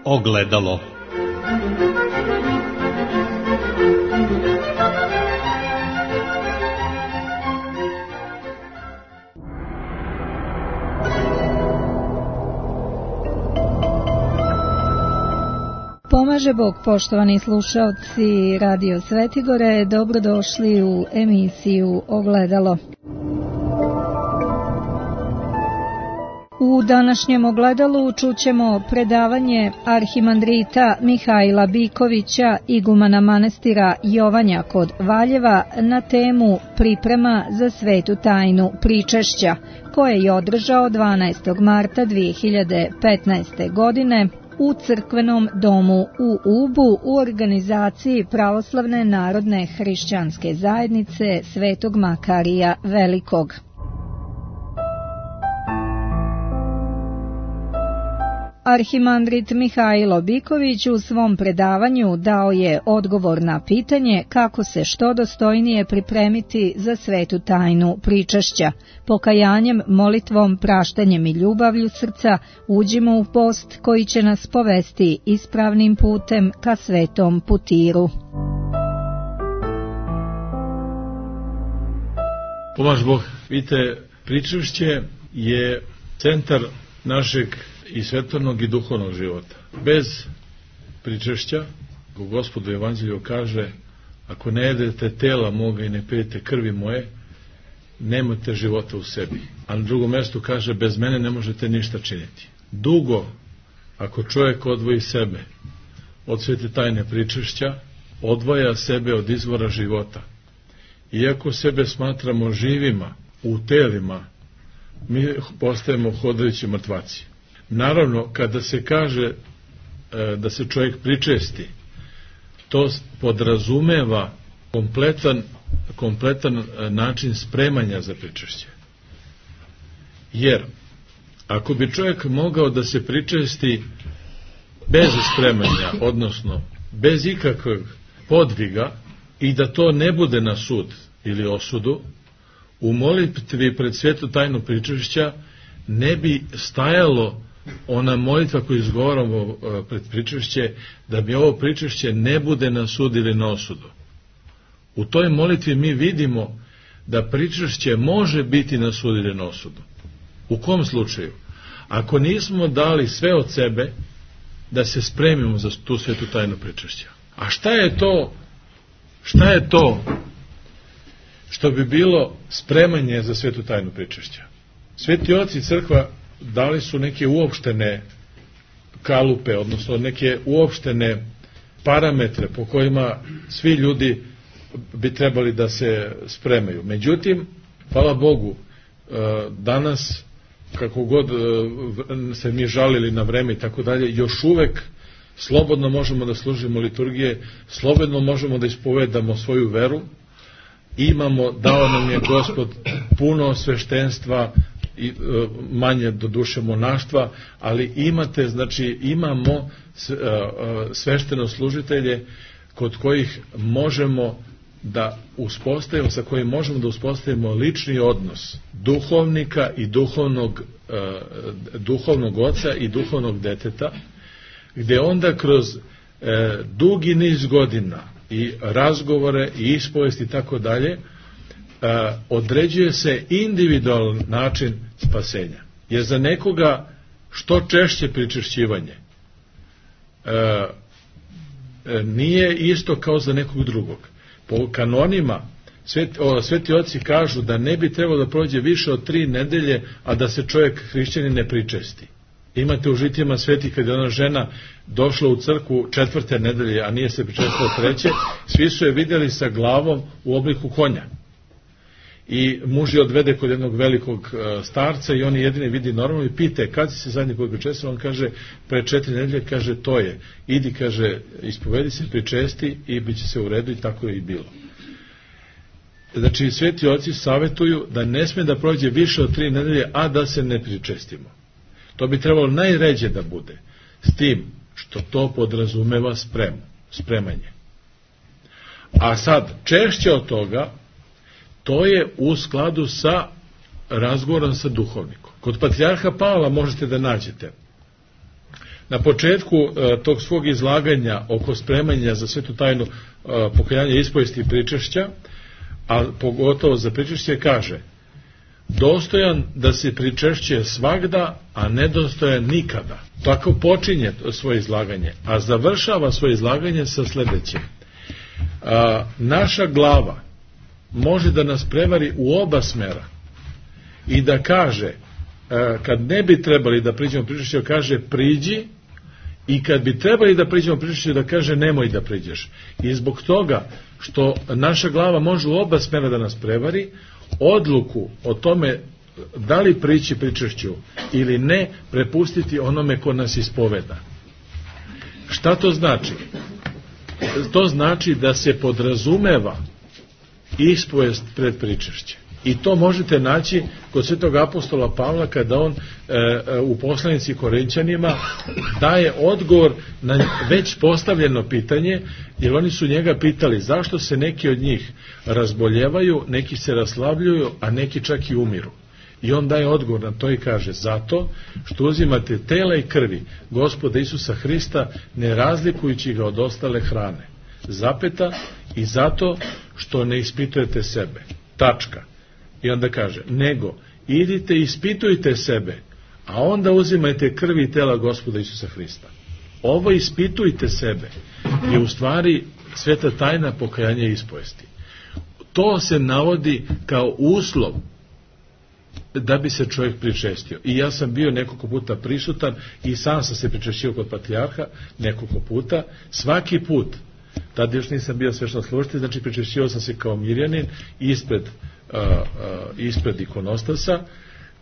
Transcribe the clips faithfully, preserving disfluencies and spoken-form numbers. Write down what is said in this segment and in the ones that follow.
Ogledalo. Pomaže Bog, poštovani slušalci Radio Svetigore, dobrodošli u emisiju Ogledalo. U današnjem Ogledalu čućemo predavanje arhimandrita Mihajla Bikovića, igumana manastira Jovanja kod Valjeva, na temu Priprema za svetu tajnu pričešća, koje je održao dvanaestog marta dvije hiljade petnaeste. godine u crkvenom domu u Ubu u organizaciji Pravoslavne narodne hrišćanske zajednice Svetog Makarija Velikog. Arhimandrit Mihajlo Biković u svom predavanju dao je odgovor na pitanje kako se što dostojnije pripremiti za svetu tajnu pričešća. Pokajanjem, molitvom, praštanjem i ljubavlju srca uđimo u post koji će nas povesti ispravnim putem ka svetom putiru. Pomaž Bog, vidite, pričešće je centar našeg i svetovnog i duhovnog života. Bez pričešća, kako Gospod u Evanđelju kaže, ako ne jedete tela moga i ne pijete krvi moje, nemate života u sebi. A na drugom mjestu kaže, bez mene ne možete ništa činiti. Dugo, ako čovjek odvoji sebe od svete tajne pričešća, odvaja sebe od izvora života. Iako sebe smatramo živima u telima, mi postajemo hodajući mrtvaci. Naravno, kada se kaže e, da se čovjek pričesti, to podrazumeva kompletan, kompletan način spremanja za pričešće. Jer, ako bi čovjek mogao da se pričesti bez spremanja, odnosno bez ikakvog podviga, i da to ne bude na sud ili osudu, u molitvi pred svetu tajnu pričešća ne bi stajalo ona molitva koju izgovaramo pred pričešće, da mi ovo pričešće ne bude na sud ili na osudu. U toj molitvi mi vidimo da pričešće može biti na sud ili na osudu. U kom slučaju? Ako nismo dali sve od sebe da se spremimo za tu svetu tajnu pričešća. A šta je to, šta je to što bi bilo spremanje za svetu tajnu pričešća? Sveti oci crkva dali su neke uopštene kalupe, odnosno neke uopštene parametre po kojima svi ljudi bi trebali da se spremaju. Međutim, hvala Bogu, danas, kako god se mi žalili na vreme i tako dalje, još uvek slobodno možemo da služimo liturgije, slobodno možemo da ispovedamo svoju veru, imamo, dao nam je Gospod puno sveštenstva, i manje do duše monaštva, ali imate, znači imamo svešteno služitelje kod kojih možemo da uspostavimo, sa kojim možemo da uspostavimo lični odnos duhovnika i duhovnog, duhovnog oca i duhovnog deteta, gde onda kroz dugi niz godina i razgovore i ispovesti i tako dalje određuje se individualan način spasenja. Jer za nekoga što češće pričešćivanje e, nije isto kao za nekog drugog. Po kanonima sveti, o, sveti oci kažu da ne bi trebalo da prođe više od tri nedelje, a da se čovjek hrišćanin ne pričesti. Imate u žitijama svetih kada je ona žena došla u crkvu četvrte nedelje, a nije se pričestila treće, svi su je vidjeli sa glavom u obliku konja. I muž je odvede kod jednog velikog starca i on je jedini vidi normalno i pita kad si se zadnji put pričestio, on kaže pre četiri nedelje, kaže to je, idi, kaže, ispovedi se, pričesti i bit će se u redu, i tako je i bilo. Znači, sveti oci savjetuju da ne sme da prođe više od tri nedelje, a da se ne pričestimo. To bi trebalo najređe da bude, s tim što to podrazumeva spremu, spremanje. A sad, češće od toga, to je u skladu sa razgovorom sa duhovnikom. Kod patrijarha Pavla možete da nađete Na početku uh, tog svog izlaganja oko spremanja za svetu tajnu uh, pokajanja, ispovesti i pričešća, a pogotovo za pričešće, kaže: dostojan da se pričešće svagda, a nedostojan nikada. Tako počinje svoje izlaganje, a završava svoje izlaganje sa sledećim: a, naša glava može da nas prevari u oba smera i da kaže, a, kad ne bi trebali da priđemo pričešću, kaže priđi, i kad bi trebali da priđemo pričešću, da kaže nemoj da priđeš. I zbog toga što naša glava može u oba smera da nas prevari, odluku o tome da li prići pričešću ili ne prepustiti onome ko nas ispoveda. Šta to znači? To znači da se podrazumeva ispovest pred pričešće. I to možete naći kod svetog apostola Pavla kada on e, u poslanici Korinćanima daje odgovor na već postavljeno pitanje, jer oni su njega pitali zašto se neki od njih razboljevaju, neki se raslabljuju, a neki čak i umiru. I on daje odgovor na to i kaže: zato što uzimate tela i krvi Gospoda Isusa Hrista, ne razlikujući ga od ostale hrane. Zapeta, i zato što ne ispitujete sebe. Tačka. I onda kaže: nego idite i ispitujte sebe, a onda uzimajte krvi i tela Gospoda Isusa Hrista. Ovo ispitujte sebe je u stvari sveta tajna pokajanja i ispovesti. To se navodi kao uslov da bi se čovjek pričestio. I ja sam bio nekoliko puta prisutan i sam sam se pričestio kod patrijarha nekoliko puta. Svaki put, tad još nisam bio sveštoslužitelj, znači pričestio sam se kao mirjanin ispred Uh, uh, ispred ikonostasa.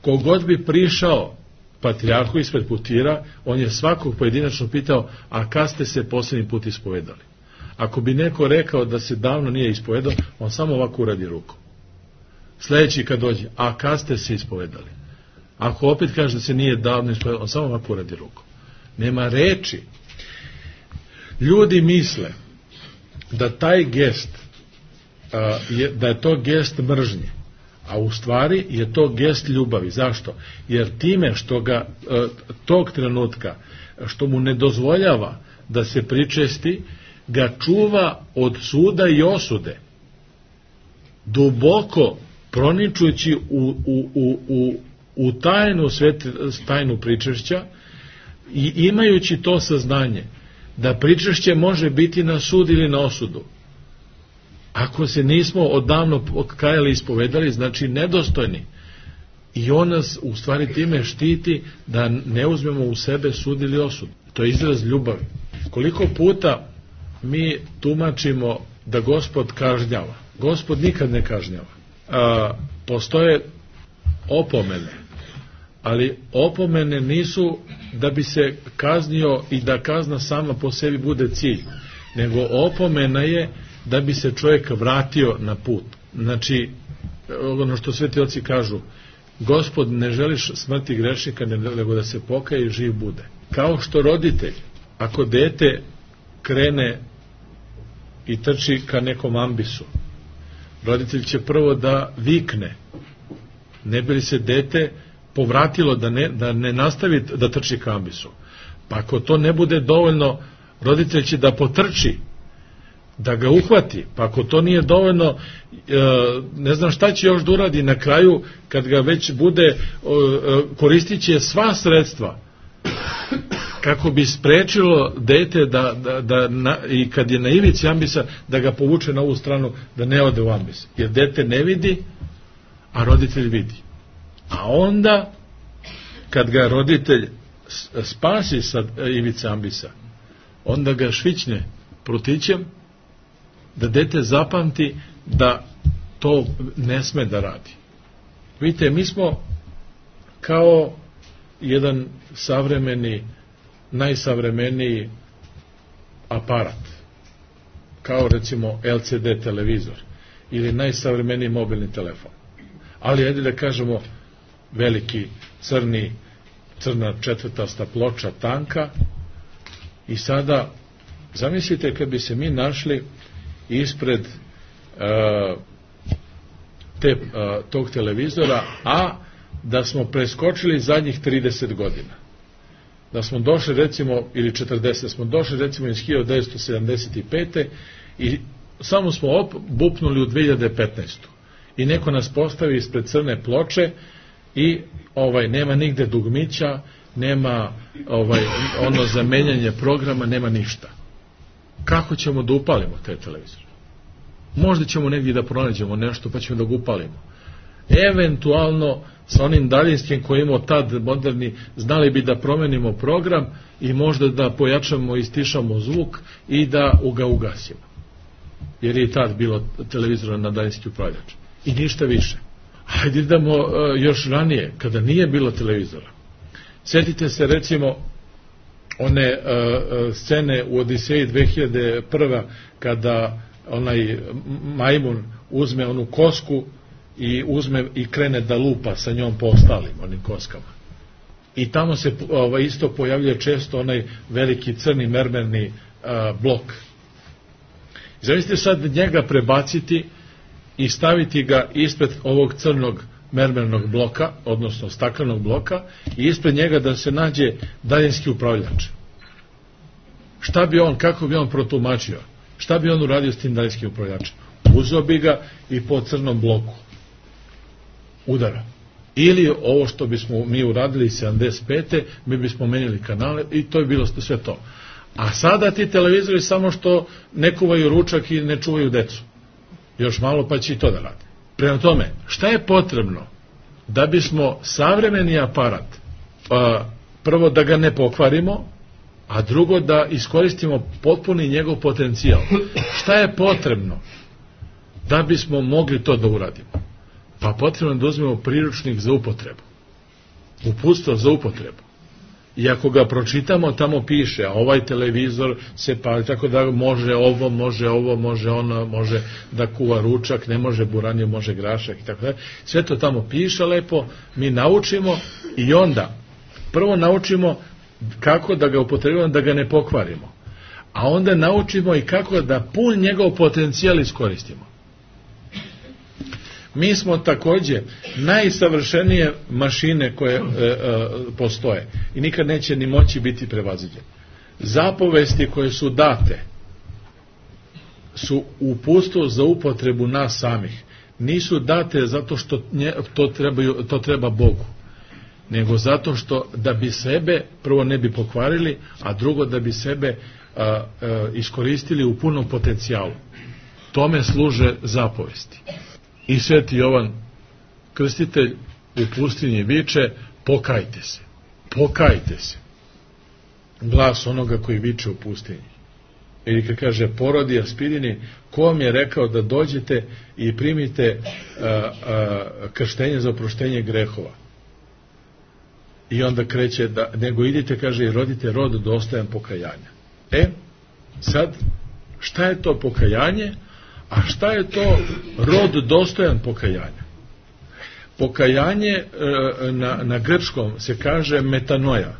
Kogod bi prišao patrijarhu ispred putira, on je svakog pojedinačno pitao: a kad ste se posljednji put ispovedali? Ako bi neko rekao da se davno nije ispovedao, on samo ovako uradi rukom. Sljedeći kad dođe: a kad ste se ispovedali? Ako opet kaže da se nije davno ispovedao, on samo ovako uradi rukom. Nema reči. Ljudi misle da taj gest, je, da je to gest mržnje, a u stvari je to gest ljubavi. Zašto? Jer time što ga tog trenutka, što mu ne dozvoljava da se pričesti, ga čuva od suda i osude, duboko proničujući u, u, u, u, u tajnu, svet, tajnu pričešća, i imajući to saznanje da pričešće može biti na sud ili na osudu. Ako se nismo odavno kajali i ispovedali, znači nedostojni. I on nas u stvari time štiti da ne uzmemo u sebe sud ili osud. To je izraz ljubavi. Koliko puta mi tumačimo da Gospod kažnjava? Gospod nikad ne kažnjava. A, postoje opomene, ali opomene nisu da bi se kaznio i da kazna sama po sebi bude cilj, nego opomena je da bi se čovjek vratio na put. Znači, ono što sveti oci kažu: Gospod ne želiš smrti grešnika, nego da se pokaje i živ bude. Kao što roditelj, ako dete krene i trči ka nekom ambisu, roditelj će prvo da vikne, ne bi li se dete povratilo da ne, da ne nastavi da trči ka ambisu. Pa ako to ne bude dovoljno, roditelj će da potrči, da ga uhvati, pa ako to nije dovoljno, ne znam šta će još da uradi na kraju, kad ga već bude, koristit će sva sredstva kako bi sprečilo dete da, da, da na, i kad je na ivici ambisa, da ga povuče na ovu stranu, da ne ode u ambis, jer dete ne vidi, a roditelj vidi. A onda kad ga roditelj spasi sa ivice ambisa, onda ga švićne prutićem, da dete zapamti da to ne sme da radi. Vidite, mi smo kao jedan savremeni, najsavremeniji aparat, kao recimo L C D televizor ili najsavremeniji mobilni telefon. Ali ajde da kažemo veliki crni, crna četvrtasta ploča tanka, i sada zamislite kad bi se mi našli ispred uh, te, uh, tog televizora, a da smo preskočili zadnjih trideset godina. da smo došli recimo, ili četrdeset, smo došli recimo iz hiljadu devetsto sedamdeset pete. i samo smo op, bupnuli u dve hiljade petnaestu. I neko nas postavi ispred crne ploče i ovaj nema nigde dugmića, nema ovaj ono za menjanje programa, nema ništa. Kako ćemo da upalimo te televizore? Možda ćemo negdje da pronađemo nešto pa ćemo da ga upalimo. Eventualno sa onim daljinskim koji imamo tad moderni, znali bi da promenimo program i možda da pojačamo i stišamo zvuk i da ga ugasimo. Jer je i tad bilo televizora na daljinski upravljač. I ništa više. Hajde idemo uh, još ranije, kada nije bilo televizora. Sjetite se recimo one uh, scene u Odiseji dve hiljade prve. kada onaj majmun uzme onu kosku i uzme i krene da lupa sa njom po ostalim onim koskama. I tamo se ovaj, isto pojavljuje često onaj veliki crni mermerni uh, blok. Zamislite sad njega prebaciti i staviti ga ispred ovog crnog mermernog bloka, odnosno staklenog bloka, i ispred njega da se nađe daljinski upravljač. Šta bi on, kako bi on protumačio? Šta bi on uradio s tim daljinskim upravljačem? Uzeo bi ga i po crnom bloku udara. Ili ovo što bismo mi uradili sedamdeset pete. mi bismo menjali kanale i to je bilo sve to. A sada ti televizori samo što ne kuvaju ručak i ne čuvaju decu. Još malo pa će i to da rade. Prema tome, šta je potrebno da bismo savremeni aparat, a, prvo da ga ne pokvarimo, a drugo da iskoristimo potpuni njegov potencijal? Šta je potrebno da bismo mogli to da uradimo? Pa potrebno da uzmemo priručnik za upotrebu, uputstvo za upotrebu. I ako ga pročitamo, tamo piše, a ovaj televizor se pali, tako da može ovo, može ovo, može ono, može da kuva ručak, ne može buranju, može grašak i tako da. Sve to tamo piše lepo, mi naučimo i onda prvo naučimo kako da ga upotrebimo, da ga ne pokvarimo. A onda naučimo i kako da pun njegov potencijal iskoristimo. Mi smo takođe najsavršenije mašine koje e, e, postoje i nikad neće ni moći biti prevaziđene. Zapovesti koje su date su uputstvo za upotrebu nas samih. Nisu date zato što nje, to, trebaju, to treba Bogu, nego zato što da bi sebe prvo ne bi pokvarili, a drugo da bi sebe a, a, iskoristili u punom potencijalu. Tome služe zapovesti. I Sveti Jovan Krstitelj u pustinji viče: pokajte se, pokajte se. Glas onoga koji viče u pustinji. Ili kad kaže porodi Aspirini, ko vam je rekao da dođete i primite a, a, krštenje za oproštenje grehova? I onda kreće da, nego idite, kaže, i rodite rod dostojan pokajanja. E, sad, šta je to pokajanje? A šta je to rod dostojan pokajanja? Pokajanje e, na, na grčkom se kaže metanoja.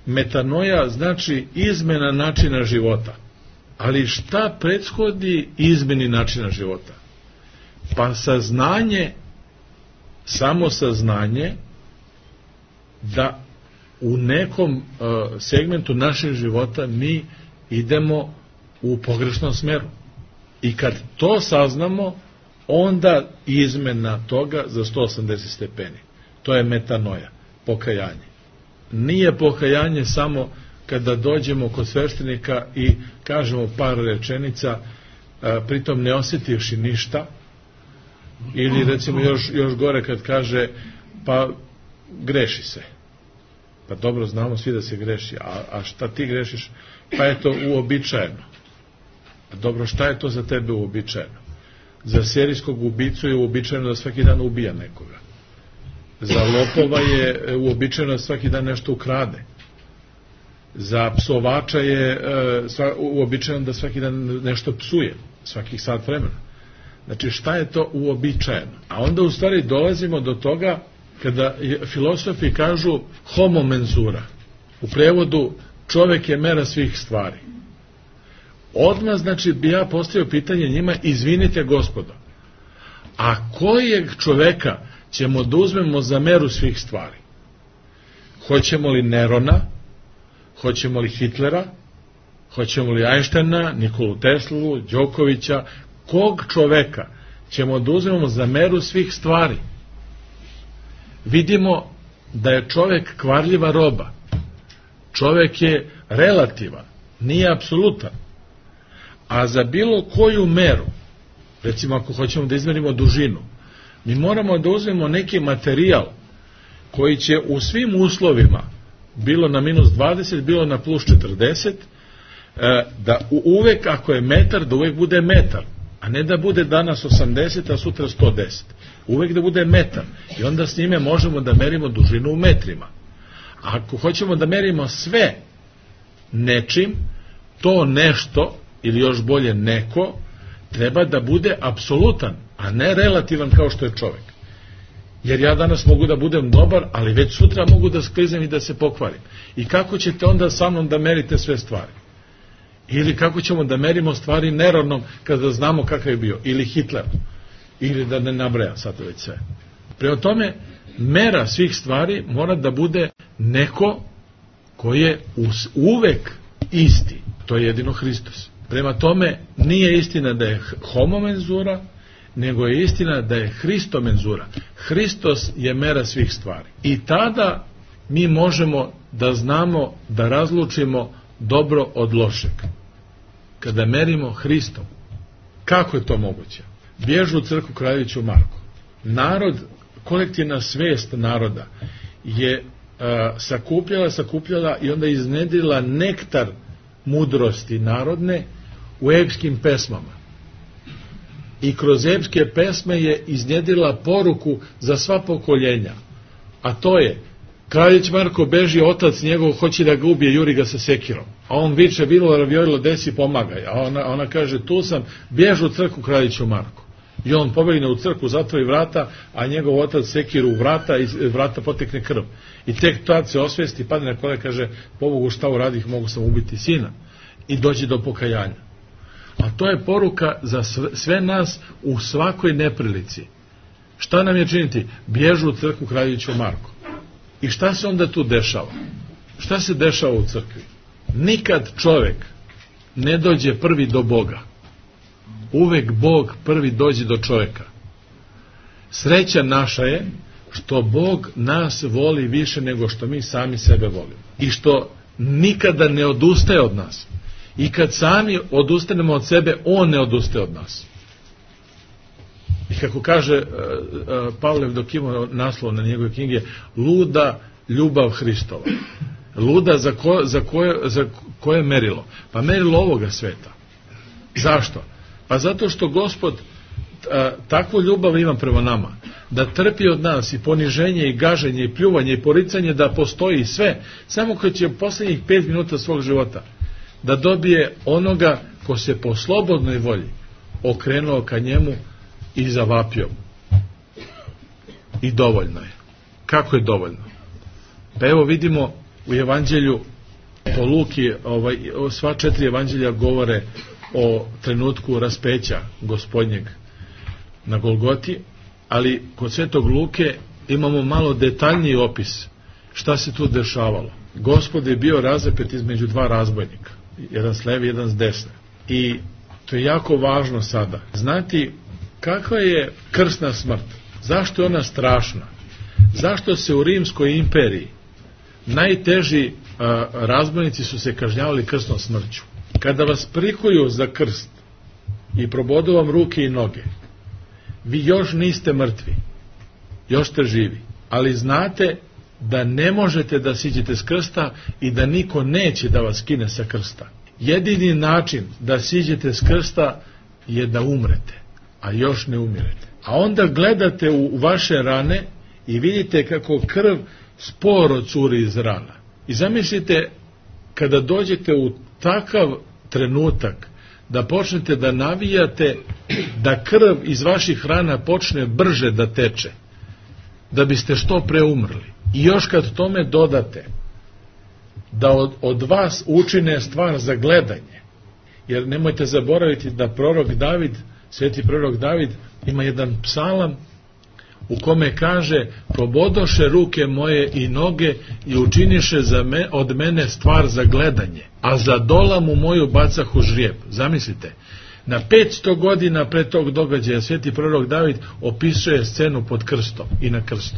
Metanoja znači izmena načina života. Ali šta prethodi izmeni načina života? Pa saznanje, samo saznanje da u nekom uh, segmentu našeg života mi idemo u pogrešnom smeru. I kad to saznamo, onda izmena toga za sto osamdeset stepeni. To je metanoja, pokajanje. Nije pokajanje samo kada dođemo kod sveštenika i kažemo par rečenica, uh, pritom ne osjetivši ništa, ili recimo još, još gore kad kaže pa greši se. Pa dobro, znamo svi da se greši, a, a šta ti grešiš? Pa je to uobičajeno. A dobro, šta je to za tebe uobičajeno? Za serijskog ubicu je uobičajeno da svaki dan ubija nekoga. Za lopova je uobičajeno da svaki dan nešto ukrade. Za psovača je e, uobičajeno da svaki dan nešto psuje, svakih sat vremena. Znači, šta je to uobičajeno? A onda u stvari dolazimo do toga kada filosofi kažu homo mensura, u prevodu čovek je mera svih stvari. Odmah, znači, bi ja postavio pitanje njima: izvinite gospodo, a kojeg čoveka ćemo da uzmemo za meru svih stvari? Hoćemo li Nerona, Hoćemo li Hitlera, hoćemo li Einsteina, Nikolu Teslu, Đokovića, kog čoveka ćemo da uzmemo za meru svih stvari? Vidimo da je čovek kvarljiva roba. Čovek je relativan, nije apsolutan. A za bilo koju meru, recimo ako hoćemo da izmerimo dužinu, mi moramo da uzmemo neki materijal koji će u svim uslovima, bilo na minus dvadeset, bilo na plus četrdeset, da uvek ako je metar, da uvek bude metar, a ne da bude danas osamdeset, a sutra sto deset. Uvek da bude metar. I onda s njime možemo da merimo dužinu u metrima. A ako hoćemo da merimo sve nečim, to nešto, ili još bolje neko, treba da bude apsolutan, a ne relativan kao što je čovek. Jer ja danas mogu da budem dobar, ali već sutra mogu da skliznem i da se pokvarim. I kako ćete onda sa mnom da merite sve stvari? Ili kako ćemo da merimo stvari nerovnom kada znamo kakav je bio? Ili Hitler? Ili da ne nabrajam sad već sve. Prema tome, mera svih stvari mora da bude neko koji je uvek isti. To je jedino Hristos. Prema tome, nije istina da je homomenzura, nego je istina da je Hristomenzura. Hristos je mera svih stvari. I tada mi možemo da znamo da razlučimo dobro od lošeg. Kada merimo Hristom. Kako je to moguće? Bježu u crkvu Kraljeviću Marku. Narod, kolektivna svest naroda je a, sakupljala, sakupljala i onda iznedrila nektar mudrosti narodne u epskim pesmama. I kroz epske pesme je iznjedrila poruku za sva pokoljenja. A to je, Kraljić Marko beži, otac njegov hoće da ga ubije, juri ga sa sekirom. A on viče, bilo ravijorilo, desi, pomagaj. A ona, ona kaže, tu sam, bježi u crkvu Kraljiću Marku. I on pobegne u crkvu, zatvori vrata, a njegov otac sekiru u vrata i vrata potekne krv. I tek tad se osvesti, padne na kolena, kaže, pobogu šta uradih, mogu sam ubiti sina. I dođe do pokajanja. A to je poruka za sve nas u svakoj neprilici. Šta nam je činiti? Bježu u crkvu Kraljeviću Marku. I šta se onda tu dešava? Šta se dešava u crkvi? Nikad čovek ne dođe prvi do Boga. Uvek Bog prvi dođe do čoveka. Sreća naša je što Bog nas voli više nego što mi sami sebe volimo. I što nikada ne odustaje od nas. I kad sami odustanemo od sebe, on ne odustaje od nas. I kako kaže uh, uh, Pavlev dok ima naslov na njegove knjige, luda ljubav Hristova. Luda za, ko, za, koje, za koje merilo? Pa merilo ovoga sveta. Zašto? Pa zato što Gospod a, takvu ljubav ima prema nama, da trpi od nas i poniženje i gaženje i pljuvanje i poricanje, da postoji sve, samo kad će poslednjih pet minuta svog života da dobije onoga ko se po slobodnoj volji okrenuo ka njemu i zavapio. I dovoljno je. Kako je dovoljno? Pa evo vidimo u evanđelju po Luki, ovaj, sva četiri evanđelja govore o trenutku raspeća Gospodnjeg na Golgoti, ali kod Svetog Luke imamo malo detaljniji opis šta se tu dešavalo. Gospod je bio razapet između dva razbojnika, jedan s leve, jedan s desne. I to je jako važno sada znati kakva je krsna smrt, zašto je ona strašna, zašto se u Rimskoj imperiji najteži a, razbojnici su se kažnjavali krsnom smrću. Kada vas prikuju za krst i probodu vam ruke i noge, vi još niste mrtvi, još ste živi, ali znate da ne možete da siđete s krsta i da niko neće da vas skine sa krsta. Jedini način da siđete s krsta je da umrete, a još ne umirete. A onda gledate u vaše rane i vidite kako krv sporo curi iz rana. I zamislite kada dođete u takav trenutak da počnete da navijate da krv iz vaših rana počne brže da teče, da biste što pre umrli. I još kad tome dodate da od, od vas učine stvar za gledanje, jer nemojte zaboraviti da prorok David, sveti prorok David, ima jedan psalam u kome kaže: probodoše ruke moje i noge i učiniše za me, od mene stvar za gledanje, a za dolamu moju bacahu žrijeb. Zamislite, na petsto godina pre tog događaja sveti prorok David opisuje scenu pod krstom i na krstu,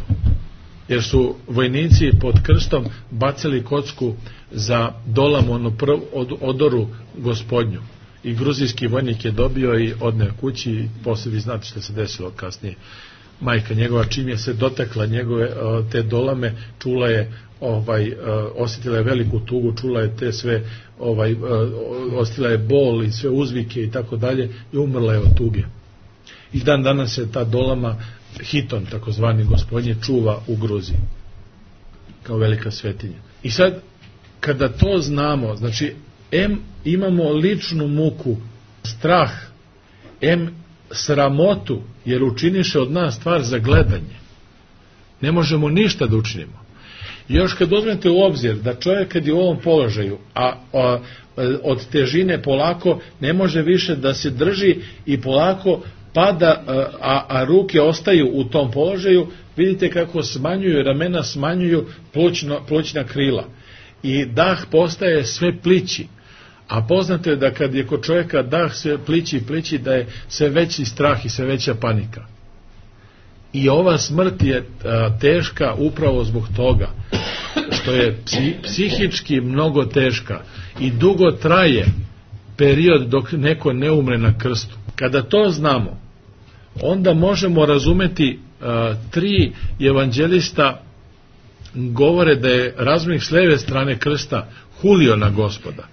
jer su vojnici pod krstom bacili kocku za dolamu, onu prv, od, odoru gospodnju, i gruzijski vojnik je dobio i odneo kući, i poslije vi znate što se desilo kasnije. Majka njegova, čim je se dotakla njegove te dolame, čula je, ovaj, osjetila je veliku tugu, čula je te sve, ovaj, osjetila je bol i sve uzvike i tako dalje, i umrla je od tuge. I dan danas se ta dolama, Hiton takozvani gospodnje, čuva u Gruziji kao velika svetinja. I sad, kada to znamo, znači, em imamo ličnu muku, strah, em sramotu, jer učiniše od nas stvar za gledanje. Ne možemo ništa da učinimo. I još kad uzmete u obzir da čovjek kad je u ovom položaju, a, a od težine polako ne može više da se drži i polako pada, a, a ruke ostaju u tom položaju, vidite kako smanjuju, ramena smanjuju plućno, plućna krila. I dah postaje sve plići. A poznato je da kad je kod čovjeka dah sve plići i plići, da je sve veći strah i sve veća panika. I ova smrt je a, teška upravo zbog toga što je psi, psihički mnogo teška i dugo traje period dok neko ne umre na krstu. Kada to znamo, onda možemo razumeti a, tri evanđelista govore da je razbojnik s leve strane krsta hulio na Gospoda,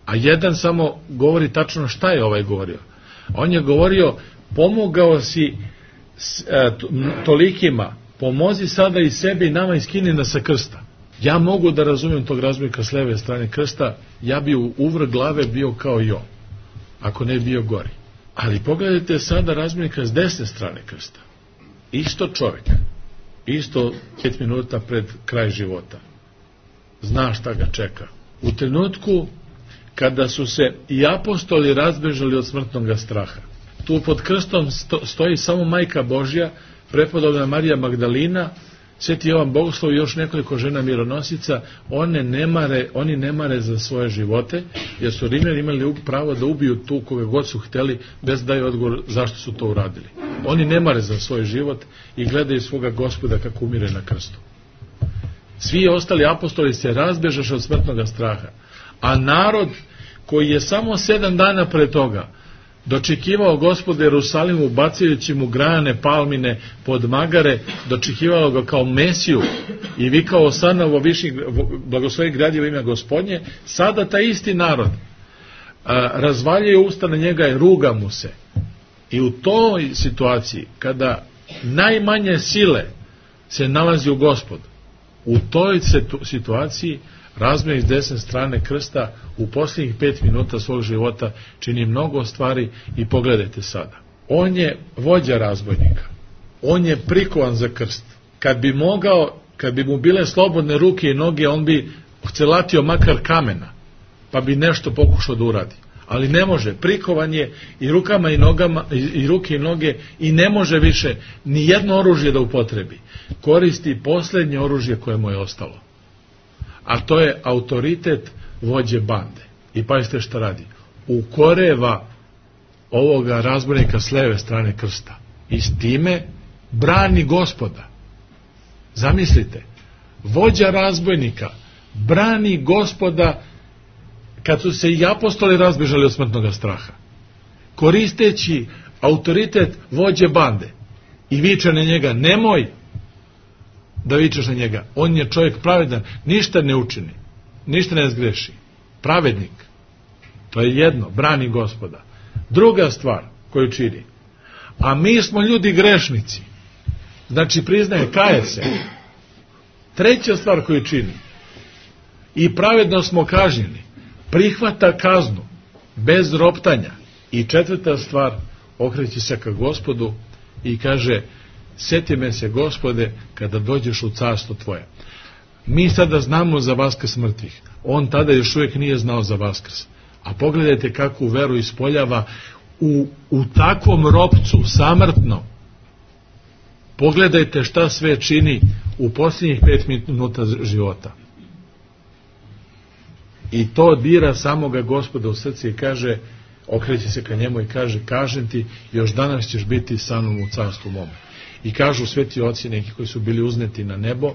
a jedan samo govori tačno šta je ovaj govorio. On je govorio: pomogao si tolikima, pomozi sada i sebi i nama i skini nas sa krsta. Ja mogu da razumijem tog razbojnika s leve strane krsta, ja bi u uvrh glave bio kao i on, ako ne bio gori. Ali pogledajte sada razbojnika s desne strane krsta. Isto čovjek, isto pet minuta pred kraj života. Zna šta ga čeka. U trenutku kada su se i apostoli razbežali od smrtnog straha, tu pod krstom stoji samo Majka Božja, prepodobna Marija Magdalina, Sveti Jovan Bogoslov i još nekoliko žena mironosica. One ne mare, oni ne mare za svoje živote, jer su Rimljani imali pravo da ubiju tu koga god su hteli, bez da daju odgovor zašto su to uradili. Oni ne mare za svoj život i gledaju svoga Gospoda kako umire na krstu. Svi ostali apostoli se razbežaše od smrtnog straha, a narod koji je samo sedam dana pre toga dočekivao Gospoda Jerusalimu, bacajući mu granane palmine pod magare, dočekivao ga kao Mesiju i vikao: osana višnjih blagoslovi gradivo ime Gospodnje, sada taj isti narod a, razvaljuje usta na njega i ruga mu se. I u toj situaciji, kada najmanje sile se nalazi u Gospodu, u toj situaciji razbojnik s desne strane krsta u posljednjih pet minuta svog života čini mnogo stvari. I pogledajte sada, on je vođa razbojnika, on je prikovan za krst. Kad bi mogao, kad bi mu bile slobodne ruke i noge, on bi celatio makar kamena, pa bi nešto pokušao da uradi. Ali ne može, prikovan je i rukama i nogama, i, i ruke i noge, i ne može više ni jedno oružje da upotrebi. Koristi posljednje oružje koje mu je ostalo, a to je autoritet vođe bande. I pazite šta radi: ukoreva ovoga razbojnika s leve strane krsta i s time brani Gospoda. Zamislite, vođa razbojnika brani Gospoda kad su se i apostoli razbežali od smrtnog straha, koristeći autoritet vođe bande, i viče na njega: nemoj da vičeš na njega, on je čovjek pravedan, ništa ne učini, ništa ne zgreši, pravednik. To je jedno, brani Gospoda. Druga stvar koju čini: a mi smo ljudi grešnici, znači priznaje, kaje se. Treća stvar koju čini: i pravedno smo kažnjeni, prihvata kaznu bez roptanja. I četvrta stvar, okreće se ka Gospodu i kaže: sjeti me se, Gospode, kada dođeš u carstvo tvoje. Mi sada znamo za vaskrs mrtvih, on tada još uvijek nije znao za vaskrs. A pogledajte kakvu veru ispoljava u, u takvom ropcu, samrtno. Pogledajte šta sve čini u posljednjih pet minuta života. I to dira samoga Gospoda u srce i kaže, okreće se ka njemu i kaže, kažem ti, još danas ćeš biti sa mnom u carstvu mome. I kažu sveti oci neki koji su bili uzneti na nebo,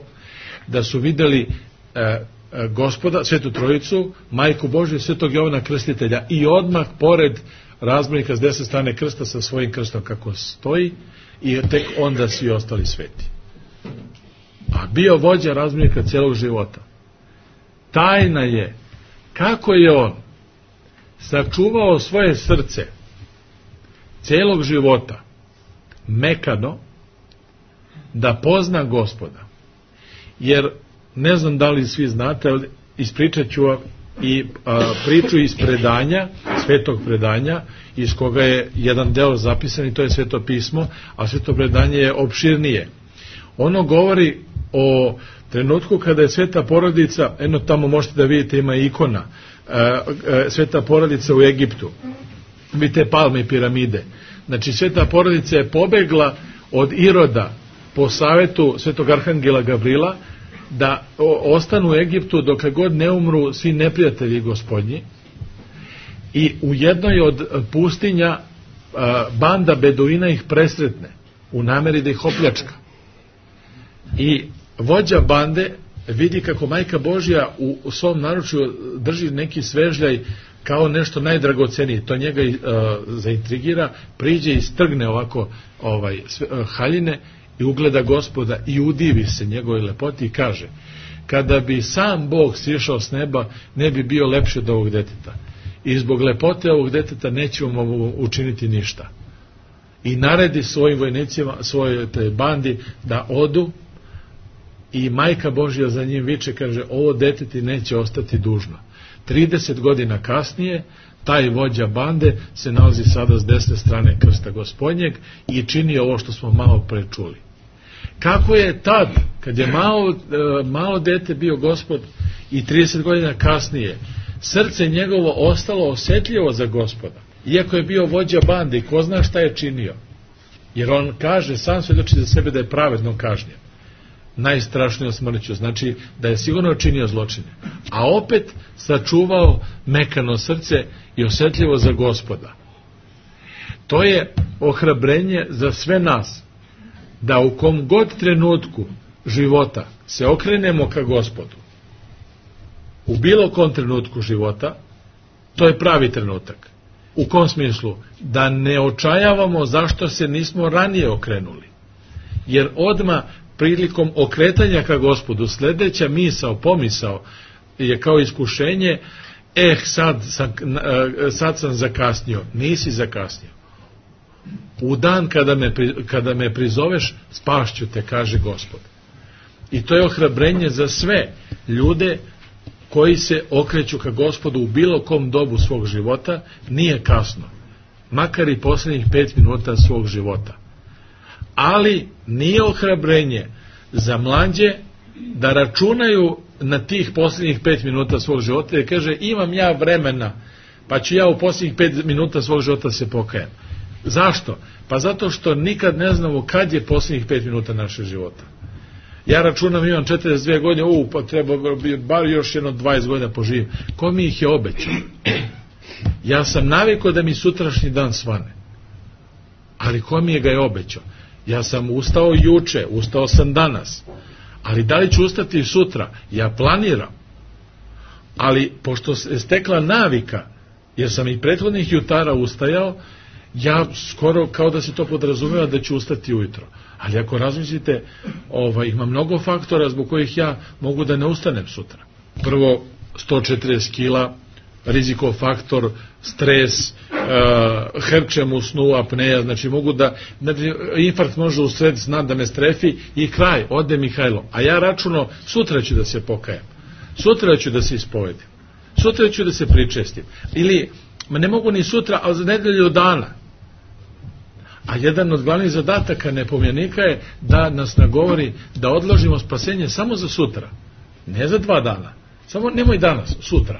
da su videli e, e, Gospoda, Svetu Trojicu, Majku Božju i Svetog Jovana Krstitelja i odmah pored razbojnika s desne strane krsta sa svojim krstom kako stoji i tek onda svi ostali sveti. A bio vođa razbojnika cijelog života. Tajna je kako je on sačuvao svoje srce cijelog života mekano da pozna Gospoda. Jer ne znam da li svi znate, ali ispričat ću i a, priču iz predanja, svetog predanja, iz koga je jedan deo zapisan i to je Sveto pismo, a sveto predanje je opširnije. Ono govori o trenutku kada je Sveta porodica, eno tamo možete da vidite, ima ikona, a, a, Sveta porodica u Egiptu, vidite palme i piramide. Znači Sveta porodica je pobegla od Iroda po savetu Svetog arhangela Gavrila da ostanu u Egiptu dokle god ne umru svi neprijatelji Gospodnji, i u jednoj od pustinja banda beduina ih presretne u nameri da ih opljačka. I vođa bande vidi kako Majka Božja u svom naručju drži neki svežljaj kao nešto najdragocenije. To njega uh, zaintrigira, priđe i strgne ovako ovaj, sve, uh, haljine i ugleda Gospoda i udivi se njegovoj lepoti i kaže, kada bi sam Bog sišao s neba, ne bi bio lepši od ovog deteta. I zbog lepote ovog deteta nećemo mu učiniti ništa. I naredi svojim vojnicima, svojoj bandi da odu, i Majka Božja za njim viče, kaže, ovo dete ti neće ostati dužno. trideset godina kasnije taj vođa bande se nalazi sada s desne strane krsta Gospodnjeg i čini ovo što smo malo pre čuli. Kako je tad, kad je malo, malo dete bio Gospod, i trideset godina kasnije srce njegovo ostalo osjetljivo za Gospoda, iako je bio vođa bande i ko zna šta je činio, jer on kaže, sam svedoči za sebe da je pravedno kažnjen najstrašnijom smrću, znači da je sigurno činio zločine, a opet sačuvao mekano srce i osjetljivo za Gospoda. To je ohrabrenje za sve nas, da u kom god trenutku života se okrenemo ka Gospodu, u bilo kom trenutku života, to je pravi trenutak. U kom smislu? Da ne očajavamo zašto se nismo ranije okrenuli, jer odma prilikom okretanja ka Gospodu sljedeća misao, pomisao je kao iskušenje, eh, sad sam, sad sam zakasnio. Nisi zakasnio. U dan kada me, kada me prizoveš, spašću te, kaže Gospod. I to je ohrabrenje za sve ljude koji se okreću ka Gospodu u bilo kom dobu svog života. Nije kasno, makar i posljednjih pet minuta svog života. Ali nije ohrabrenje za mlađe da računaju na tih posljednjih pet minuta svog života i kaže, imam ja vremena, pa ću ja u posljednjih pet minuta svog života se pokajem. Zašto? Pa zato što nikad ne znamo kad je posljednjih pet minuta našeg života. Ja računam, imam četrdeset dvije godine, u, pa treba bi bar još jedno dvadeset godina poživim. Ko mi ih je obećao? Ja sam navikao da mi sutrašnji dan svane. Ali ko mi je ga je obećao? Ja sam ustao juče, ustao sam danas. Ali da li ću ustati sutra? Ja planiram. Ali pošto se stekla navika, jer sam i prethodnih jutara ustajao, ja skoro kao da se to podrazumeva da ću ustati ujutro. Ali ako razmislite, ovaj, ima mnogo faktora zbog kojih ja mogu da ne ustanem sutra. Prvo, sto četrdeset kila, rizikov faktor, stres, uh, herčem u snu, apneja, znači mogu da, znači, infarkt može u sred sna da me strefi i kraj, ode Mihajlo. A ja računo, sutra ću da se pokajem, sutra ću da se ispovedim, sutra ću da se pričestim. Ili, ma ne mogu ni sutra, ali za nedelju dana. A jedan od glavnih zadataka nepomjenika je da nas nagovori da odložimo spasenje samo za sutra, ne za dva dana. Samo nemoj danas, sutra.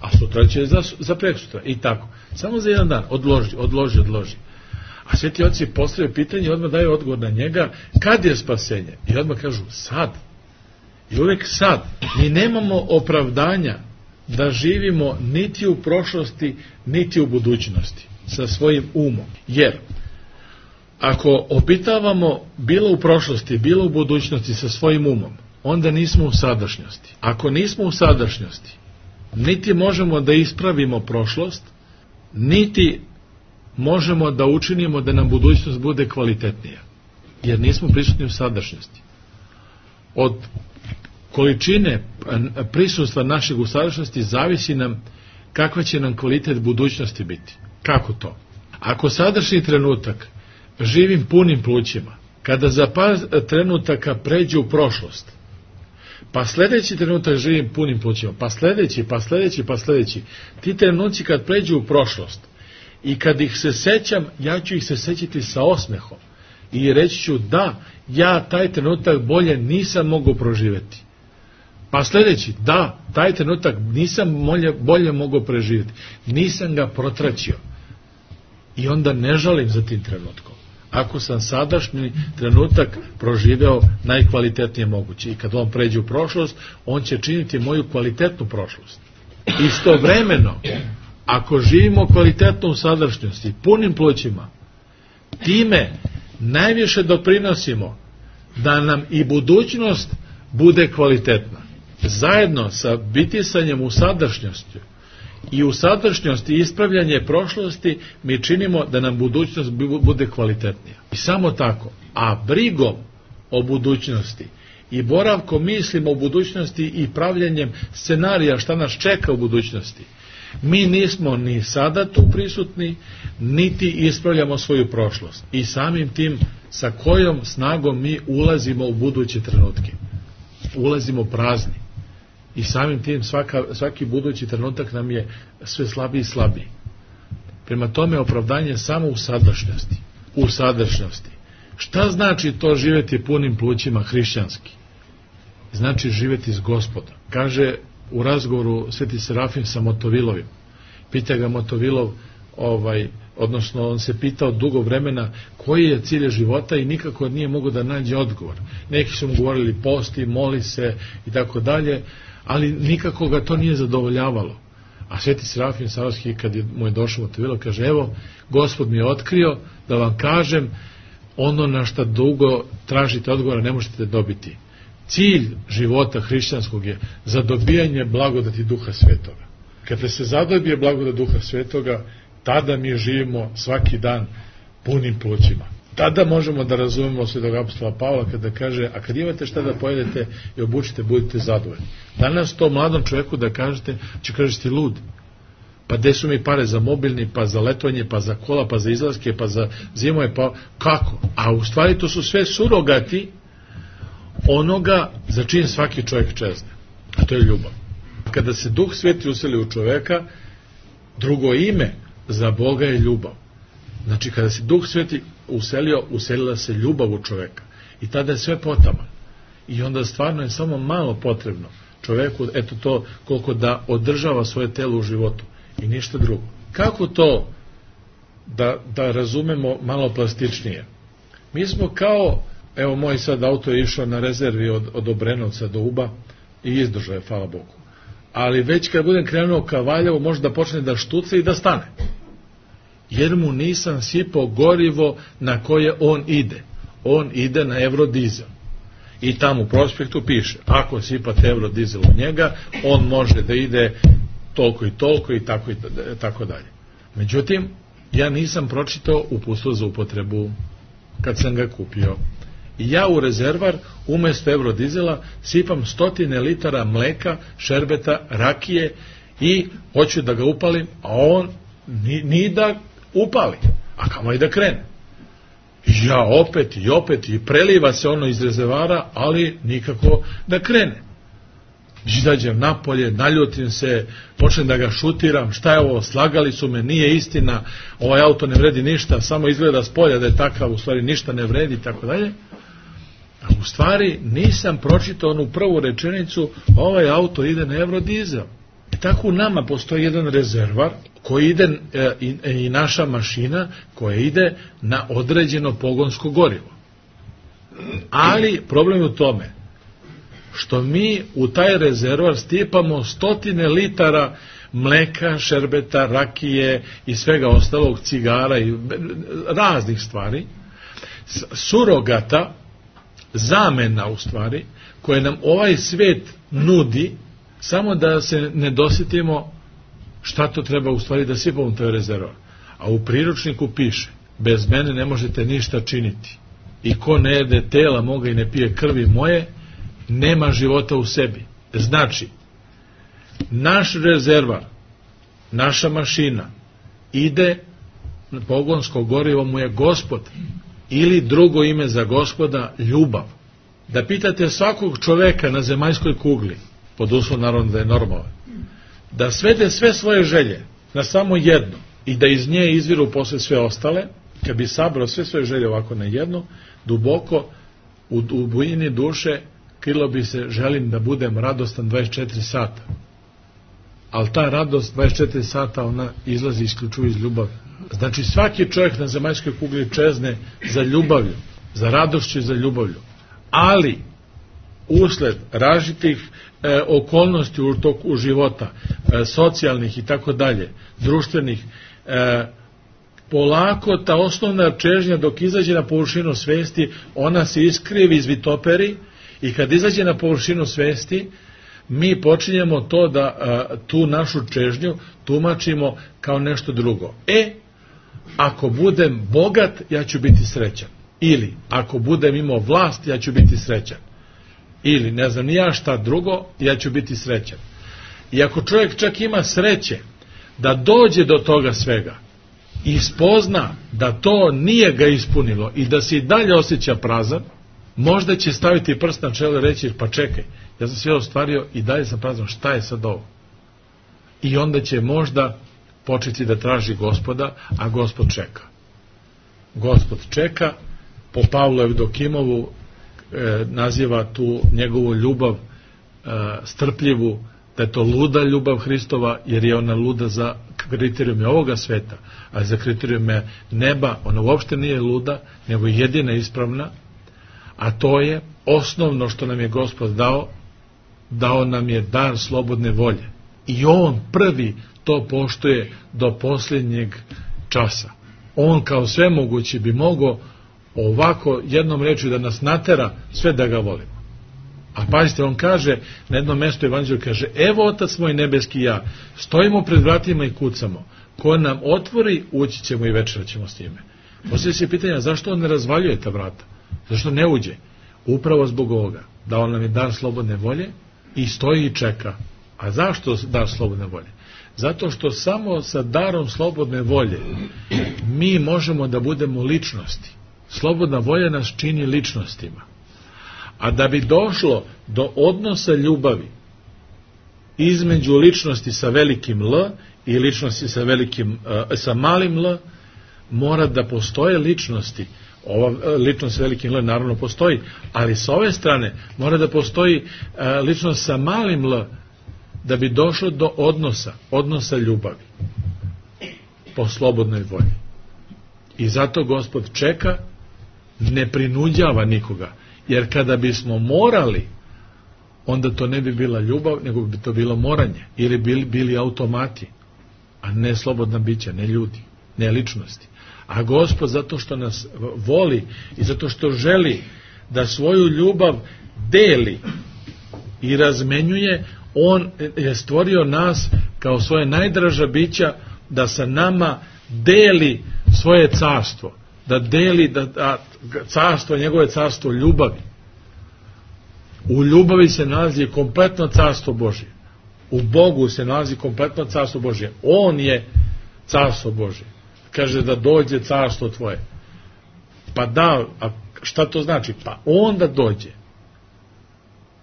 A sutra će za, za preksutra. I tako. Samo za jedan dan. Odloži, odloži, odloži. A sveti oci postavljaju pitanje i odmah daju odgovor na njega, kad je spasenje? I odmah kažu, sad. I uvek sad. Mi nemamo opravdanja da živimo niti u prošlosti, niti u budućnosti sa svojim umom. Jer ako obitavamo bilo u prošlosti, bilo u budućnosti sa svojim umom, onda nismo u sadašnjosti. Ako nismo u sadašnjosti, niti možemo da ispravimo prošlost, niti možemo da učinimo da nam budućnost bude kvalitetnija. Jer nismo prisutni u sadašnjosti. Od količine prisustva našeg u sadašnjosti zavisi nam kakva će nam kvalitet budućnosti biti. Kako to? Ako sadašnji trenutak živim punim plućima, kada za par trenutaka pređe u prošlost, pa sljedeći trenutak živim punim plućima, pa sljedeći, pa sljedeći, pa sljedeći, ti trenuci kad pređu u prošlost i kad ih se sećam, ja ću ih se sećati sa osmehom i reći ću da, ja taj trenutak bolje nisam mogao proživjeti. Pa sljedeći, da, taj trenutak nisam bolje, bolje mogao preživjeti, nisam ga protraćio i onda ne žalim za tim trenutkom. Ako sam sadašnji trenutak proživeo najkvalitetnije moguće i kad on pređe u prošlost, on će činiti moju kvalitetnu prošlost. Istovremeno, ako živimo kvalitetno u sadašnjosti, punim plućima, time najviše doprinosimo da nam i budućnost bude kvalitetna. Zajedno sa bitisanjem u sadašnjosti i u sadašnjosti ispravljanje prošlosti mi činimo da nam budućnost bude kvalitetnija. I samo tako, a brigom o budućnosti i boravkom mislimo o budućnosti i pravljenjem scenarija šta nas čeka u budućnosti, mi nismo ni sada tu prisutni, niti ispravljamo svoju prošlost. I samim tim sa kojom snagom mi ulazimo u buduće trenutke. Ulazimo prazni. I samim tim svaka, svaki budući trenutak nam je sve slabiji i slabiji. Prema tome opravdanje samo u sadašnjosti. U sadašnjosti. Šta znači to živjeti punim plućima hrišćanski? Znači živjeti s Gospodom. Kaže u razgovoru Sveti Serafim sa Motovilovim. Pita ga Motovilov, ovaj, odnosno on se pitao dugo vremena koji je cilj života i nikako nije mogao da nađe odgovor. Neki su mu govorili posti, moli se i tako dalje, ali nikako ga to nije zadovoljavalo. A Sveti Serafim Sarovski, kad je mu je došao Motovilov, kaže, evo, Gospod mi je otkrio da vam kažem ono na šta dugo tražite odgovora ne možete dobiti. Cilj života hrišćanskog je zadobijanje blagodati Duha Svetoga. Kada se zadobije blagodat Duha Svetoga, tada mi živimo svaki dan punim plućima. Tada možemo da razumemo svetog apostola Pavla kada kaže, a kad imate šta da pojedete i obučite, budite zadovoljni. Danas to mladom čovjeku da kažete, će kažete ti lud. Pa gde su mi pare za mobilni, pa za letovanje, pa za kola, pa za izlaske, pa za zimove, pa kako? A u stvari to su sve surogati onoga za čim svaki čovjek čezne. A to je ljubav. Kada se Duh Sveti useli u čovjeka, drugo ime za Boga je ljubav. Znači kada se Duh Sveti uselio, uselila se ljubav u čovjeka. I tada je sve potaman. I onda stvarno je samo malo potrebno čovjeku, eto to, koliko da održava svoje telo u životu. I ništa drugo. Kako to da, da razumemo malo plastičnije? Mi smo kao, evo moj sad auto je išao na rezervi od, od Obrenovca do Uba i izdržao je, hvala Bogu. Ali već kad budem krenuo ka Valjevu, može da počne da štuca i da stane. Jer mu nisam sipao gorivo na koje on ide. On ide na eurodizel. I tamo u prospektu piše, ako sipate eurodizel u njega, on može da ide toliko i toliko i tako i tako dalje. Međutim, ja nisam pročitao uputstvo za upotrebu kad sam ga kupio. I ja u rezervar umjesto eurodizela sipam stotine litara mleka, šerbeta, rakije i hoću da ga upalim, a on ni, ni da upali, a kamo i da krene. I ja opet i opet i preliva se ono iz rezervara, ali nikako da krene. Izađem napolje, naljutim se, počnem da ga šutiram, šta je ovo, slagali su me, nije istina, ovaj auto ne vredi ništa, samo izgleda s polja da je takav, u stvari ništa ne vredi, tako dalje. A u stvari nisam pročitao onu prvu rečenicu, ovaj auto ide na eurodizel. I tako u nama postoji jedan rezervar koji ide e, i, i naša mašina koja ide na određeno pogonsko gorivo. Ali problem je u tome što mi u taj rezervoar stipamo stotine litara mleka, šerbeta, rakije i svega ostalog, cigara i raznih stvari, surogata, zamena u stvari, koje nam ovaj svet nudi, samo da se ne dosjetimo šta to treba u stvari da sipamo u taj rezervoar. A u priručniku piše, bez mene ne možete ništa činiti. I ko ne jede tela moga i ne pije krvi moje, nema života u sebi. Znači, naš rezervar, naša mašina ide, pogonsko gorivo mu je Gospod, ili drugo ime za Gospoda, ljubav. Da pitate svakog čoveka na zemaljskoj kugli, pod uslovom naravno da je normalan, da svede sve svoje želje na samo jedno i da iz nje izviru posle sve ostale, kad bi sabrao sve svoje želje ovako na jedno, duboko u, u bujini duše krilo bi se, želim da budem radostan dvadeset četiri sata. Ali ta radost dvadeset četiri sata, ona izlazi isključivo iz ljubavi. Znači svaki čovjek na zemaljskoj kugli čezne za ljubavlju, za radošću i za ljubavlju. Ali usled različitih e, okolnosti u toku života, e, socijalnih i tako dalje, društvenih, e, polako ta osnovna čežnja dok izađe na površinu svesti, ona se iskrivi, izvitoperi, i kad izađe na površinu svesti, mi počinjemo to da a, tu našu čežnju tumačimo kao nešto drugo. E, ako budem bogat, ja ću biti srećan. Ili, ako budem imao vlast, ja ću biti srećan. Ili, ne znam ni ja šta drugo, ja ću biti srećan. I ako čovjek čak ima sreće da dođe do toga svega i spozna da to nije ga ispunilo i da se i dalje osjeća prazan, možda će staviti prst na čelo i reći, pa čekaj, ja sam sve ostvario i dalje sam prazan, šta je sad ovo? I onda će možda početi da traži Gospoda, a Gospod čeka. Gospod čeka, po Pavlu Evdokimovu e, naziva tu njegovu ljubav e, strpljivu, da je to luda ljubav Hristova, jer je ona luda za kriterijume ovoga sveta, a za kriterijume neba ona uopšte nije luda, nego jedina ispravna, a to je osnovno što nam je Gospod dao, dao nam je dar slobodne volje. I on prvi to poštuje do posljednjeg časa. On kao svemogući bi mogao ovako jednom rečju da nas natera sve da ga volimo. A pazite, on kaže, na jednom mjestu Evanđelju kaže, evo Otac moj nebeski i ja, stojimo pred vratima i kucamo. Ko nam otvori, ući ćemo i večerat ćemo s njime. Poslije se pitanja, zašto on ne razvaljuje ta vrata? Zašto ne uđe? Upravo zbog ovoga. Da on nam je dar slobodne volje i stoji i čeka. A zašto dar slobodne volje? Zato što samo sa darom slobodne volje mi možemo da budemo ličnosti. Slobodna volja nas čini ličnostima. A da bi došlo do odnosa ljubavi između ličnosti sa velikim L i ličnosti sa, velikim, sa malim L, mora da postoje ličnosti. Ova ličnost sa velikim L naravno postoji, ali sa ove strane mora da postoji ličnost sa malim L, da bi došlo do odnosa, odnosa ljubavi po slobodnoj volji. I zato Gospod čeka, ne prinuđava nikoga, jer kada bismo morali, onda to ne bi bila ljubav, nego bi to bilo moranje, ili bili, bili automati, a ne slobodna bića, ne ljudi, ne ličnosti. A Gospod zato što nas voli i zato što želi da svoju ljubav deli i razmenjuje, on je stvorio nas kao svoje najdraža bića da sa nama deli svoje carstvo, da deli da, da, carstvo, njegove carstvo ljubavi. U ljubavi se nalazi kompletno carstvo Božje. U Bogu se nalazi kompletno carstvo Božje. On je carstvo Božje. Kaže da dođe carstvo tvoje. Pa da, a šta to znači? Pa onda dođe.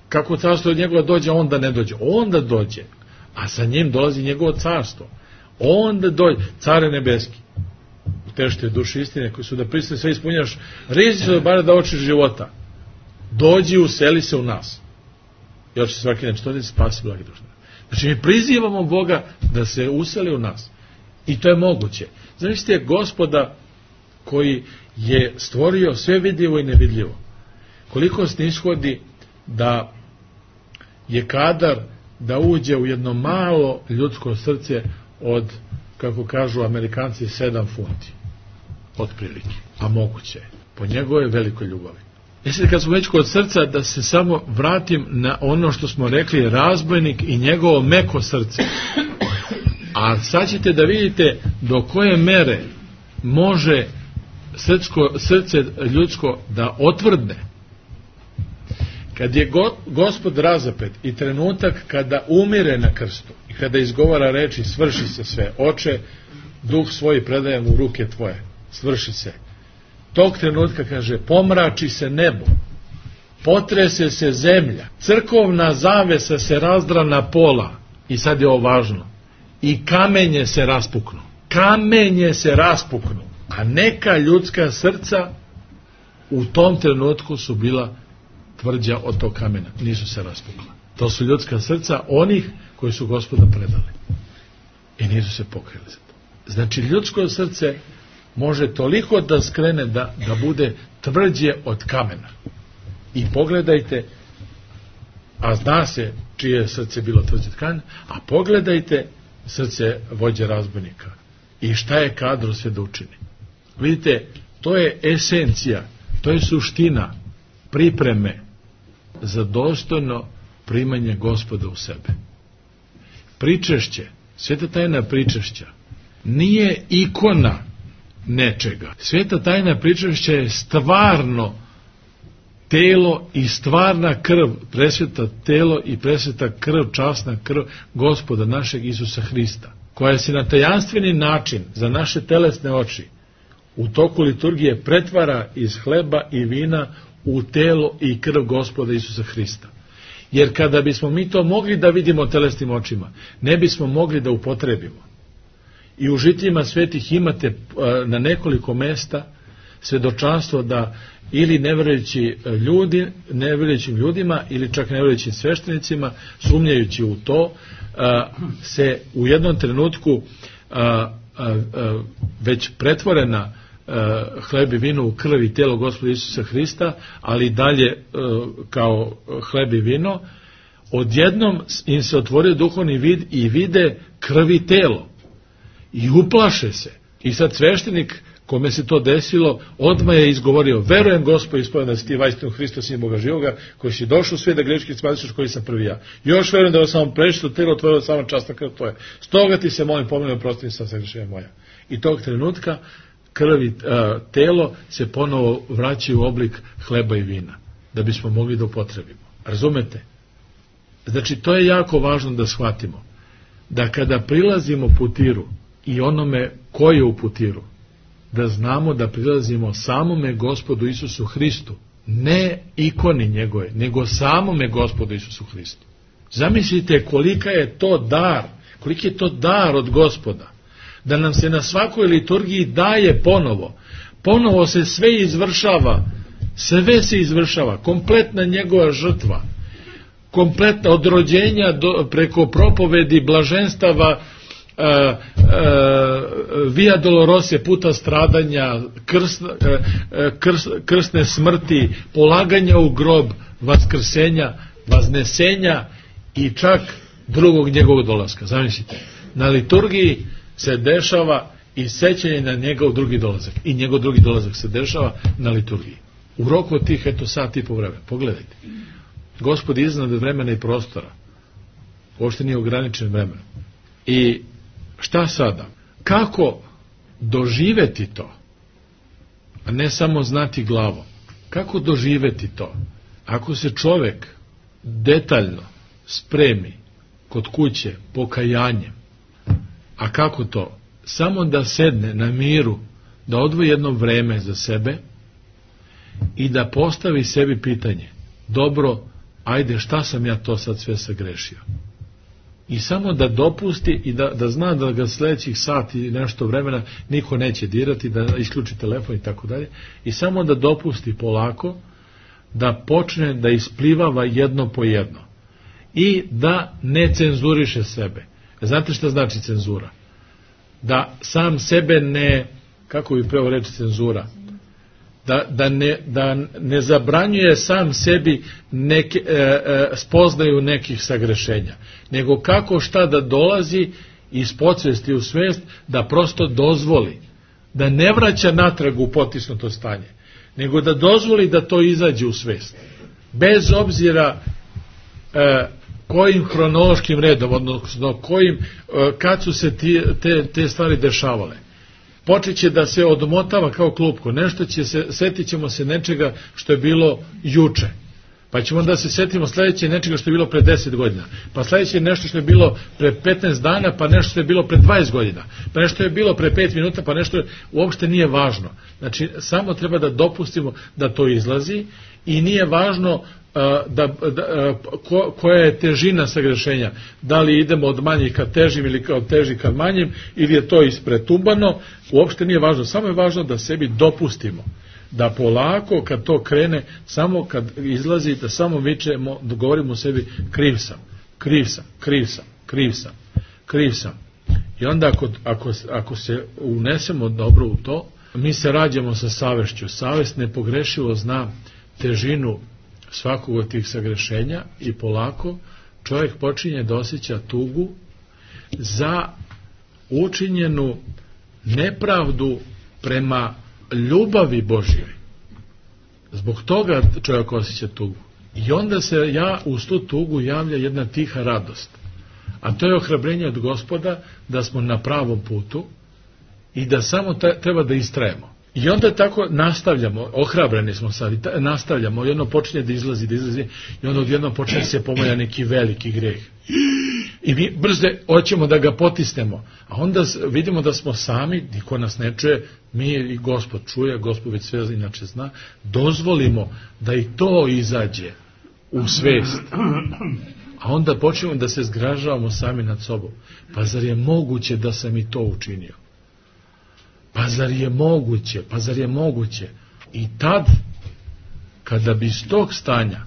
Kako carstvo od njegova dođe, onda ne dođe. Onda dođe, a sa njim dolazi njegovo carstvo. Onda dođe, care nebeski. Tešte duše istine koji su da pristane sve ispunjaš, rizi se bara da oči života. Dođi, useli se u nas. I oči svaki dan, što da se spasi blagi duša. Znači mi prizivamo Boga da se useli u nas. I to je moguće. Zamislite Gospoda koji je stvorio sve vidljivo i nevidljivo. Koliko snishodi da je kadar da uđe u jedno malo ljudsko srce od, kako kažu Amerikanci, sedam funti. Otprilike. A moguće je. Po njegove velikoj ljubavi. E sad, kad smo već kod srca, da se samo vratim na ono što smo rekli, razbojnik i njegovo meko srce. A sad ćete da vidite do koje mere može srcko, srce ljudsko da otvrdne. Kad je go, Gospod razapet i trenutak kada umire na krstu i kada izgovara reči svrši se sve, oče, duh svoj predajem u ruke tvoje, svrši se. Tog trenutka, kaže, pomrači se nebo, potrese se zemlja, crkovna zavesa se razdra na pola, i sad je ovo važno, i kamenje se raspuknu. Kamenje se raspuknu. A neka ljudska srca u tom trenutku su bila tvrđa od tog kamena. Nisu se raspukla. To su ljudska srca onih koji su Gospoda predali. I nisu se pokrili za to. Znači, ljudsko srce može toliko da skrene da, da bude tvrđe od kamena. I pogledajte, a zna se čije je srce bilo tvrđe od kamena, a pogledajte srce vođe razbojnika. I šta je kadro sve da učini. Vidite, to je esencija, to je suština pripreme za dostojno primanje Gospoda u sebe. Pričešće, sveta tajna pričešća, nije ikona nečega. Sveta tajna pričešća je stvarno telo i stvarna krv, presveta telo i presveta krv, časna krv Gospoda našeg Isusa Hrista, koja se na tajanstveni način za naše telesne oči u toku liturgije pretvara iz hleba i vina u telo i krv Gospoda Isusa Hrista. Jer kada bismo mi to mogli da vidimo telesnim očima, ne bismo mogli da upotrebimo. I u žitljima svetih imate na nekoliko mesta svedočanstvo da ili neverujući ljudi, neverujućim ljudima ili čak neverujućim sveštenicima, sumnjajući u to, se u jednom trenutku već pretvorena hleb i vino u krv i telo Gospoda Isusa Hrista, ali dalje kao hleb i vino, odjednom im se otvorio duhovni vid i vide krv i telo. I uplaše se. I sad sveštenik kome se to desilo, odmah je izgovorio: verujem Gospod ispovjedam da si ti vaistinu Hristo, sin Boga živoga, koji si došao u svijet da greški spasiš, koji sam prvi ja. Još verujem da je samo prešto telo tvoje, sama časna krv tvoja. Stoga ti se molim pomeni, oprosti sam se grešenja moja. I tog trenutka krv i telo se ponovo vraćaju u oblik hleba i vina, da bismo mogli da upotrebimo. Razumete? Znači, to je jako važno da shvatimo. Da kada prilazimo putiru i onome ko je u putiru, da znamo da prilazimo samome Gospodu Isusu Hristu, ne ikoni njegove, nego samome Gospodu Isusu Hristu. Zamislite kolika je to dar, koliki je to dar od Gospoda, da nam se na svakoj liturgiji daje ponovo, ponovo se sve izvršava, sve se izvršava, kompletna njegova žrtva, kompletna od rođenja do, preko propovedi, blaženstava, Uh, uh, via dolorose, puta stradanja, krs, uh, krs, krsne smrti, polaganja u grob, vaskrsenja, vaznesenja i čak drugog njegovog dolaska. Zamislite, na liturgiji se dešava i sećanje na njegov drugi dolazak. I njegov drugi dolazak se dešava na liturgiji. U roku od tih, eto, sat i po vremena. Pogledajte. Gospod iznad vremena i prostora. Uopšte nije ograničen vremenom. I šta sada? Kako doživeti to? A ne samo znati glavom. Kako doživeti to? Ako se čovek detaljno spremi kod kuće pokajanjem, a kako to? Samo da sedne na miru, da odvoji jedno vreme za sebe i da postavi sebi pitanje: dobro, ajde, šta sam ja to sad sve sagrešio? I samo da dopusti i da, da zna da ga sledećih sati i nešto vremena niko neće dirati, da isključi telefon i tako dalje, i samo da dopusti polako da počne da isplivava jedno po jedno i da ne cenzuriše sebe. Znate šta znači cenzura? da sam sebe ne, kako bi pravo reći cenzura, da, da, ne, da ne zabranjuje sam sebi neke, e, e, spoznaju nekih sagrešenja, nego kako šta da dolazi iz podsvesti u svest, da prosto dozvoli, da ne vraća natrag u potisnuto stanje, nego da dozvoli da to izađe u svest. Bez obzira e, kojim hronološkim redom, odnosno kojim, e, kad su se ti, te, te stvari dešavale. Počet će da se odmotava kao klupko, nešto će se, setit ćemo se nečega što je bilo juče, pa ćemo da se setimo sledeće nečega što je bilo pre deset godina, pa sledeće nešto što je bilo pre petnaest dana, pa nešto što je bilo pre dvadeset godina, pa nešto je bilo pre pet minuta, pa nešto uopšte nije važno. Znači, samo treba da dopustimo da to izlazi i nije važno da, da, ko, koja je težina sagrešenja, da li idemo od manjih ka težim ili od težih ka manjim, ili je to ispretumbano, uopšte nije važno, samo je važno da sebi dopustimo da polako kad to krene, samo kad izlazi, da samo vičemo, da govorimo u sebi kriv sam, kriv sam, kriv sam, kriv sam, kriv sam. I onda ako, ako, ako se unesemo dobro u to, mi se rađamo sa savešću. Savest nepogrešivo zna težinu svakog od tih sagrešenja i polako čovjek počinje da osjeća tugu za učinjenu nepravdu prema ljubavi Božjoj. Zbog toga čovjek osjeća tugu. I onda se ja uz tu tugu javlja jedna tiha radost. A to je ohrabrenje od Gospoda da smo na pravom putu i da samo treba da istrajemo. I onda tako nastavljamo, ohrabreni smo sad, i ta, nastavljamo, i ono počinje da izlazi, da izlazi, i onda odjednom počinje se pomalja neki veliki greh. I mi brzo hoćemo da ga potisnemo, a onda vidimo da smo sami, niko nas ne čuje, mi i Gospod čuje, Gospod već sve inače zna, dozvolimo da i to izađe u svest. A onda počnemo da se zgražavamo sami nad sobom. Pa zar je moguće da sam i to učinio? Pa zar je moguće? Pa zar je moguće? I tad, kada bi iz tog stanja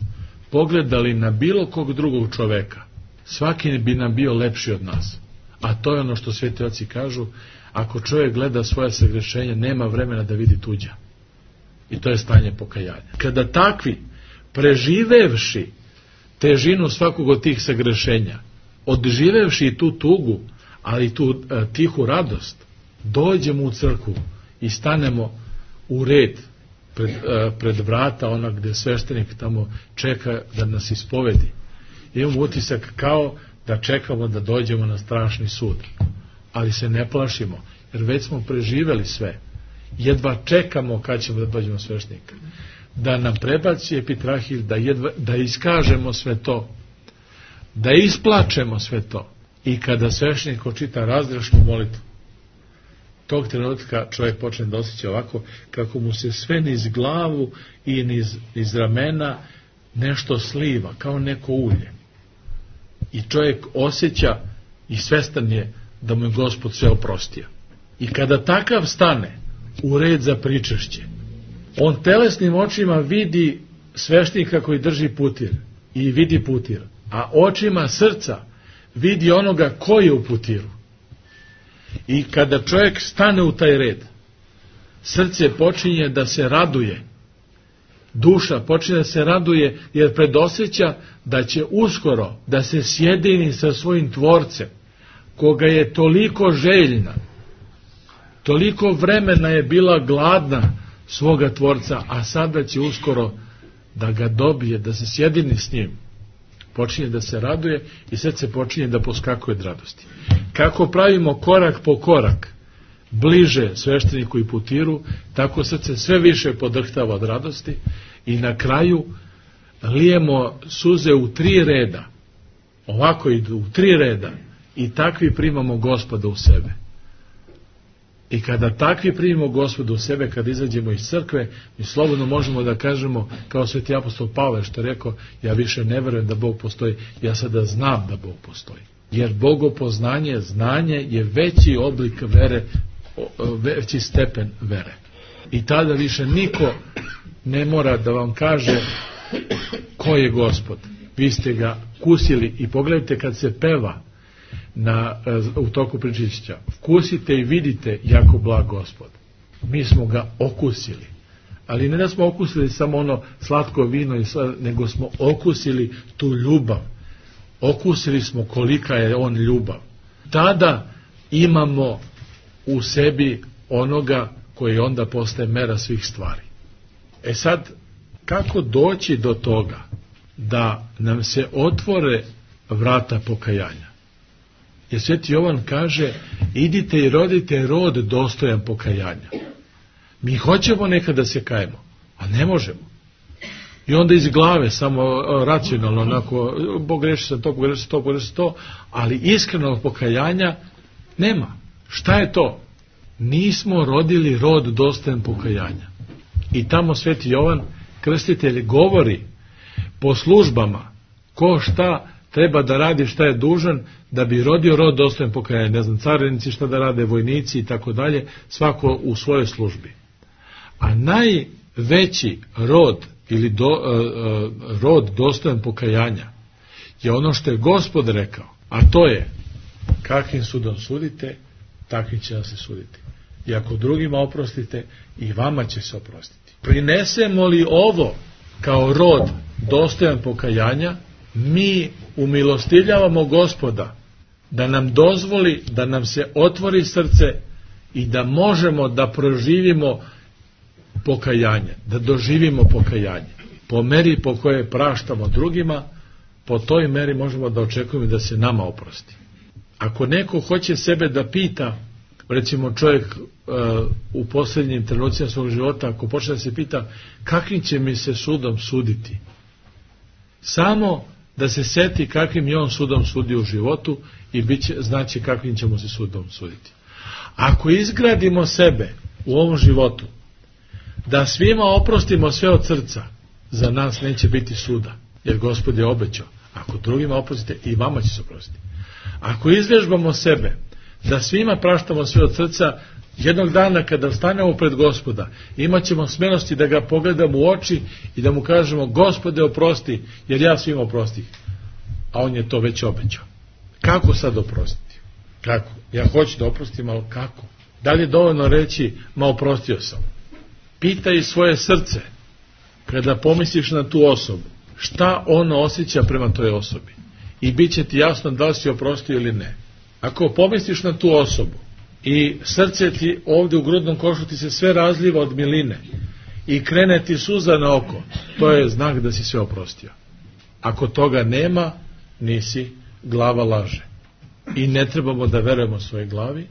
pogledali na bilo kog drugog čoveka, svaki bi nam bio lepši od nas. A to je ono što sveti oci kažu, ako čovjek gleda svoje sagrešenje, nema vremena da vidi tuđa. I to je stanje pokajanja. Kada takvi, preživevši težinu svakog od tih sagrešenja, odživevši tu tugu, ali tu e, tihu radost, dođemo u crkvu i stanemo u red pred, e, pred vrata, ona gde sveštenik tamo čeka da nas ispovedi. Imamo utisak kao da čekamo da dođemo na strašni sud. Ali se ne plašimo, jer već smo preživeli sve. Jedva čekamo kad ćemo da dođemo sveštenika. Da nam prebaci epitrahil, da, jedva, da iskažemo sve to, da isplačemo sve to. I kada sveštenik očita razrešnu molitvu, tog trenutka čovjek počne da osjeća ovako, kako mu se sve niz glavu i niz, niz ramena nešto sliva, kao neko ulje. I čovjek osjeća i svestan je da mu je Gospod sve oprostio. I kada takav stane u red za pričešće, on telesnim očima vidi sveštenika koji drži putir i vidi putir, a očima srca vidi onoga ko je u putiru. I kada čovjek stane u taj red, srce počinje da se raduje, duša počinje da se raduje, jer predosjeća da će uskoro da se sjedini sa svojim tvorcem, koga je toliko željna, toliko vremena je bila gladna svoga tvorca, a sada će uskoro da ga dobije, da se sjedini s njim. Počinje da se raduje i srce počinje da poskakuje od radosti. Kako pravimo korak po korak bliže svešteniku i putiru, tako srce sve više podrhtava od radosti i na kraju lijemo suze u tri reda. Ovako idu u tri reda i takvi primamo Gospoda u sebe. I kada takvi primimo Gospoda u sebe, kada izađemo iz crkve, mi slobodno možemo da kažemo, kao sveti apostol Pavle što je rekao, ja više ne verujem da Bog postoji, ja sada znam da Bog postoji. Jer bogopoznanje, znanje je veći oblik vere, veći stepen vere. I tada više niko ne mora da vam kaže ko je Gospod. Vi ste ga kusili i pogledajte kad se peva, na, u toku pričišća, vkusite i vidite jako blag Gospod. Mi smo ga okusili. Ali ne da smo okusili samo ono slatko vino, i sl... nego smo okusili tu ljubav. Okusili smo kolika je on ljubav. Tada imamo u sebi onoga koji onda postaje mera svih stvari. E sad, kako doći do toga da nam se otvore vrata pokajanja? Jer Sveti Jovan kaže, idite i rodite rod dostojan pokajanja. Mi hoćemo nekad da se kajemo, a ne možemo. I onda iz glave, samo racionalno, onako, pogreši sam to, pogreši sam to, pogreši sam to, ali iskrenog pokajanja nema. Šta je to? Nismo rodili rod dostojan pokajanja. I tamo Sveti Jovan, krstitelj, govori po službama ko šta treba da radi, šta je dužan da bi rodio rod dostojan pokajanja. Ne znam, carinici šta da rade, vojnici i tako dalje, svako u svojoj službi. A najveći rod ili do, uh, rod dostojan pokajanja je ono što je Gospod rekao, a to je kakvim sudom sudite, takvim će vam se suditi. I ako drugima oprostite, i vama će se oprostiti. Prinesemo li ovo kao rod dostojan pokajanja, mi umilostivljavamo Gospoda da nam dozvoli da nam se otvori srce i da možemo da proživimo pokajanje, da doživimo pokajanje. Po meri po kojoj praštamo drugima, po toj meri možemo da očekujemo da se nama oprosti. Ako neko hoće sebe da pita, recimo čovjek uh, u posljednjim trenucima svog života, ako počne da se pita kakvim će mi se sudom suditi, samo da se seti kakvim je on sudom sudio u životu i bit će, znači kakvim ćemo se sudom suditi. Ako izgradimo sebe u ovom životu, da svima oprostimo sve od srca, za nas neće biti suda, jer Gospod je obećao, ako drugima oprostite, i vama će se oprostiti. Ako izvježbamo sebe, da svima praštamo sve od srca, jednog dana kada stanemo pred Gospoda, imat ćemo smelosti da ga pogledamo u oči i da mu kažemo, Gospode oprosti, jer ja svima oprostih. A on je to već obećao. Kako sad oprostiti? Kako? Ja hoću da oprostim, ali kako? Da li je dovoljno reći, ma oprostio sam? Pitaj svoje srce, kada pomisliš na tu osobu, šta ono osjeća prema toj osobi. I bit će ti jasno da li si oprostio ili ne. Ako pomisliš na tu osobu i srce ti ovdje u grudnom košu ti se sve razliva od miline i krene ti suza na oko, to je znak da si sve oprostio. Ako toga nema, nisi, glava laže. I ne trebamo da verujemo svojoj glavi,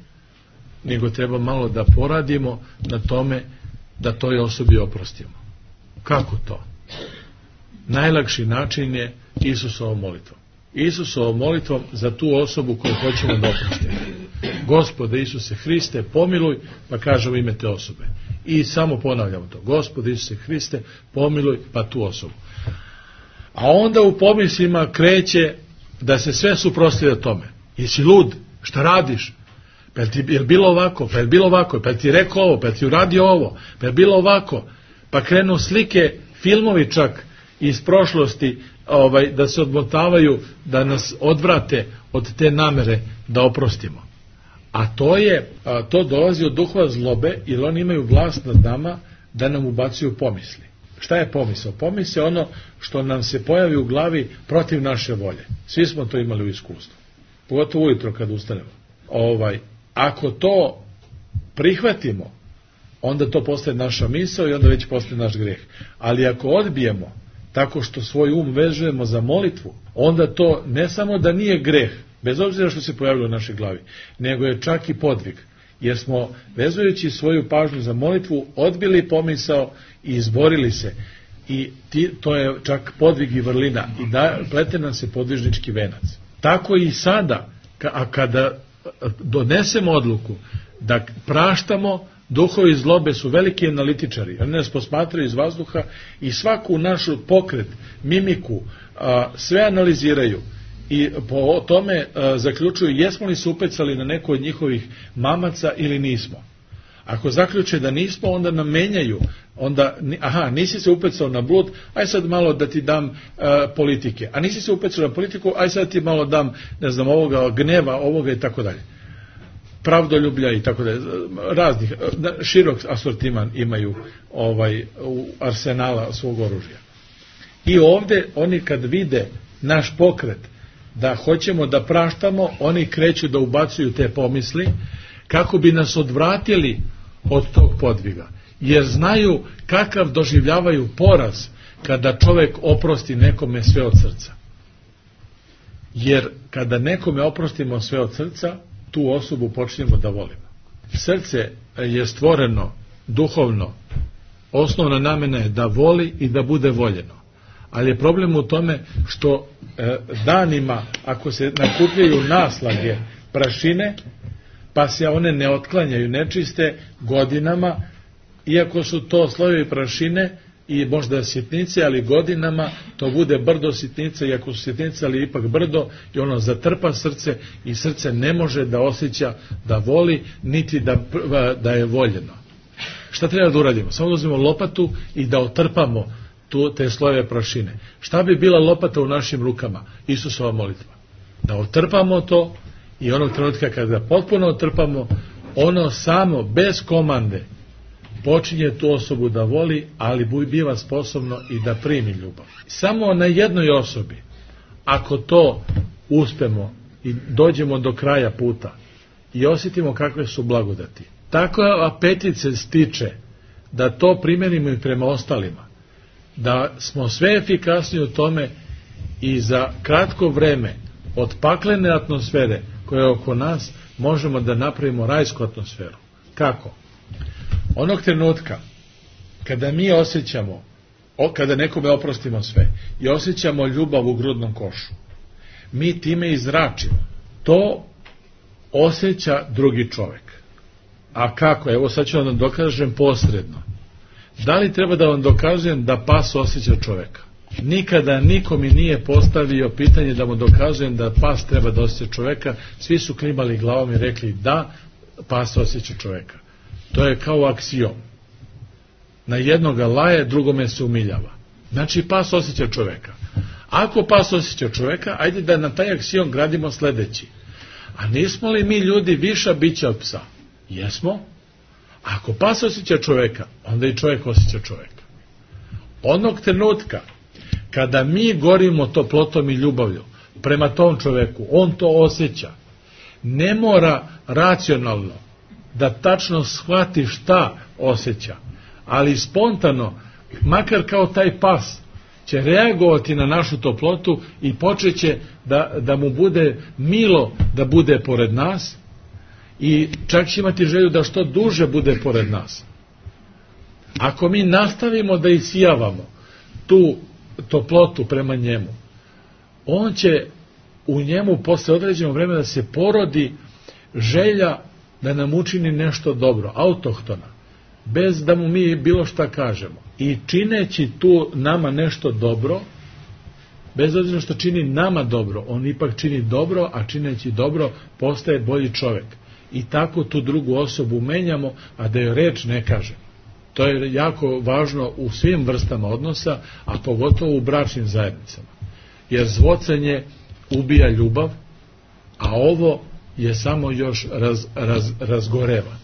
nego treba malo da poradimo na tome da toj osobi oprostimo. Kako to? Najlakši način je Isusovom molitvom. Isusovom molitvom za tu osobu koju hoćemo da oprostimo. Gospode Isuse Hriste, pomiluj, pa kažemo ime te osobe. I samo ponavljamo to. Gospode Isuse Hriste, pomiluj, pa tu osobu. A onda u pomislima kreće da se sve suprotstavlja tome. Jesi lud? Šta radiš? Pa je ti je bilo ovako, pa je bilo ovako, pa je ti rekao ovo, pa je ti uradio ovo, pa je bilo ovako. Pa krenu slike, filmovi čak iz prošlosti, ovaj, da se odmotavaju, da nas odvrate od te namere da oprostimo. A to je, a to dolazi od duhova zlobe, jer oni imaju vlast nad nama da nam ubacuju pomisli. Šta je pomisao? Pomisao je ono što nam se pojavi u glavi protiv naše volje. Svi smo to imali u iskustvu. Pogotovo ujutro kad ustanemo. Ovaj, ako to prihvatimo, onda to postaje naša misao i onda već postaje naš greh. Ali ako odbijemo tako što svoj um vežujemo za molitvu, onda to ne samo da nije greh, bez obzira što se pojavilo u našoj glavi, nego je čak i podvig. Jer smo, vezujući svoju pažnju za molitvu, odbili pomisao i izborili se. I ti, to je čak podvig i vrlina. I da, plete nam se podvižnički venac. Tako i sada, a kada donesemo odluku da praštamo, duhovi zlobe su veliki analitičari. Oni nas posmatraju iz vazduha i svaku našu pokret, mimiku, a, sve analiziraju. I po tome a, zaključuju jesmo li se upecali na neko od njihovih mamaca ili nismo. Ako zaključe da nismo, onda nam menjaju onda, aha, nisi se upecao na blud, aj sad malo da ti dam uh, politike, a nisi se upecao na politiku, aj sad ti malo dam, ne znam, ovoga gneva, ovoga i tako dalje. Pravdoljublja i tako dalje, raznih, širok asortiman imaju ovaj, u arsenala svog oružja. I ovde oni kad vide naš pokret da hoćemo da praštamo, oni kreću da ubacuju te pomisli kako bi nas odvratili od tog podviga. Jer znaju kakav doživljavaju poraz kada čovek oprosti nekome sve od srca. Jer kada nekome oprostimo sve od srca, tu osobu počnemo da volimo. Srce je stvoreno duhovno, osnovna namena je da voli i da bude voljeno. Ali je problem u tome što e, danima, ako se nakupljaju naslage prašine, pa se one ne otklanjaju, nečiste, godinama, iako su to slojevi prašine i možda sitnice, ali godinama to bude brdo sitnice, iako su sitnice, ali ipak brdo, i ono zatrpa srce i srce ne može da osjeća da voli, niti da, da je voljeno. Šta treba da uradimo? Samo da uzmemo lopatu i da otrpamo tu, te slojeve prašine. Šta bi bila lopata u našim rukama? Isusova molitva. Da otrpamo to i onog trenutka kada potpuno otrpamo, ono samo, bez komande, počinje tu osobu da voli, ali biva sposobno i da primi ljubav. Samo na jednoj osobi, ako to uspemo i dođemo do kraja puta i osjetimo kakve su blagodati, tako apetit se stiče da to primenimo i prema ostalima, da smo sve efikasniji u tome i za kratko vreme od paklene atmosfere koja je oko nas možemo da napravimo rajsku atmosferu. Kako? Onog trenutka kada mi osjećamo, kada nekome oprostimo sve i osjećamo ljubav u grudnom košu, mi time izračimo. To osjeća drugi čovek. A kako? Evo sad ću vam dokažem posredno. Da li treba da vam dokazujem da pas osjeća čoveka? Nikada niko mi nije postavio pitanje da mu dokazujem da pas treba da osjeća čoveka. Svi su klimali glavom i rekli da, pas osjeća čoveka. To je kao aksiom. Na jednoga laje, drugome se umiljava. Znači pas osjeća čoveka. Ako pas osjeća čoveka, ajde da na taj aksiom gradimo sledeći. A nismo li mi ljudi viša bića od psa? Jesmo. Ako pas osjeća čoveka, onda i čovek osjeća čoveka. Onog trenutka kada mi gorimo toplotom i ljubavlju prema tom čoveku, on to osjeća. Ne mora racionalno da tačno shvati šta osjeća, ali spontano, makar kao taj pas, će reagovati na našu toplotu i počeće da, da mu bude milo da bude pored nas i čak će imati želju da što duže bude pored nas. Ako mi nastavimo da isijavamo tu toplotu prema njemu, on će u njemu posle određenog vremena da se porodi želja da nam učini nešto dobro, autohtona, bez da mu mi bilo šta kažemo. I čineći tu nama nešto dobro, bez obzira što čini nama dobro, on ipak čini dobro, a čineći dobro postaje bolji čovek. I tako tu drugu osobu menjamo, a da joj reč ne kažemo. To je jako važno u svim vrstama odnosa, a pogotovo u bračnim zajednicama. Jer zvocanje ubija ljubav, a ovo je samo još raz, raz, razgoreva.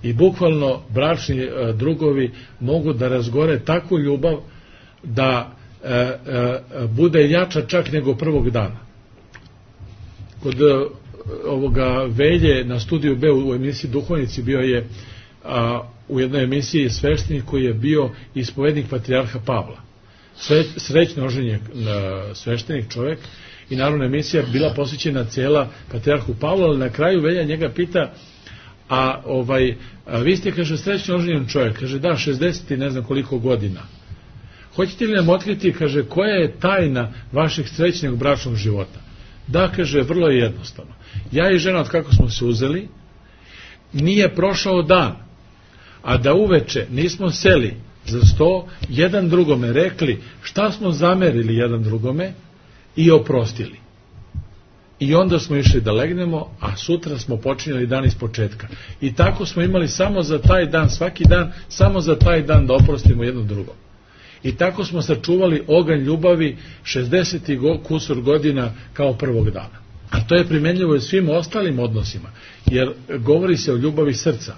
I bukvalno bračni e, drugovi mogu da razgore takvu ljubav da e, e, bude jača čak nego prvog dana. Kod e, ovoga Velje na studiju B u emisiji Duhovnici bio je a, u jednoj emisiji sveštenik koji je bio ispovednik patrijarha Pavla. Sve, srećno oženjen sveštenik čovjek i naravno emisija bila posvećena cijela patrijarhu Pavlu, ali na kraju Velja njega pita, a ovaj a vi ste, kaže, srećno oženjen čovjek, kaže da, šezdeset i ne znam koliko godina. Hoćete li nam otkriti, kaže, koja je tajna vašeg srećnog bračnog života? Da, kaže, vrlo je jednostavno. Ja i žena, od kako smo se uzeli, nije prošao dan, a da uveče nismo seli za sto, jedan drugome rekli šta smo zamerili jedan drugome i oprostili. i onda smo išli da legnemo, a sutra smo počinjali dan iz početka. I tako smo imali samo za taj dan, svaki dan, samo za taj dan da oprostimo jedno drugo. I tako smo sačuvali oganj ljubavi šezdeset kusur godina kao prvog dana. A to je primenljivo i svim ostalim odnosima, jer govori se o ljubavi srca.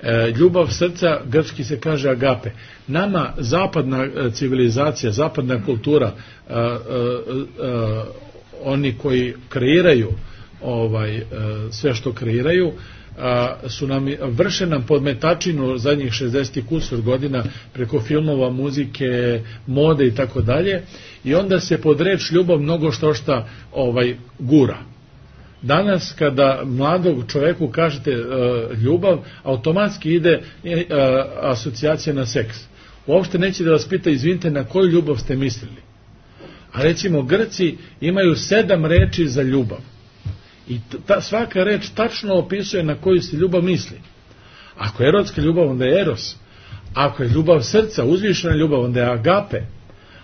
E, ljubav srca, grčki se kaže agape. Nama zapadna civilizacija, zapadna kultura, a, a, a, oni koji kreiraju ovaj, a, sve što kreiraju, a, su nam, vrše nam podmetačinu zadnjih šezdeset kusur godina preko filmova, muzike, mode i tako dalje, i onda se pod reč ljubav mnogo što šta ovaj, gura. Danas kada mladog čoveku kažete uh, ljubav, automatski ide uh, asocijacija na seks. Uopšte neće da vas pita, izvinite, na koju ljubav ste mislili. A recimo Grci imaju sedam reči za ljubav. I ta, svaka reč tačno opisuje na koju se ljubav misli. Ako je erotska ljubav, onda je eros. Ako je ljubav srca, uzvišena ljubav, onda je agape.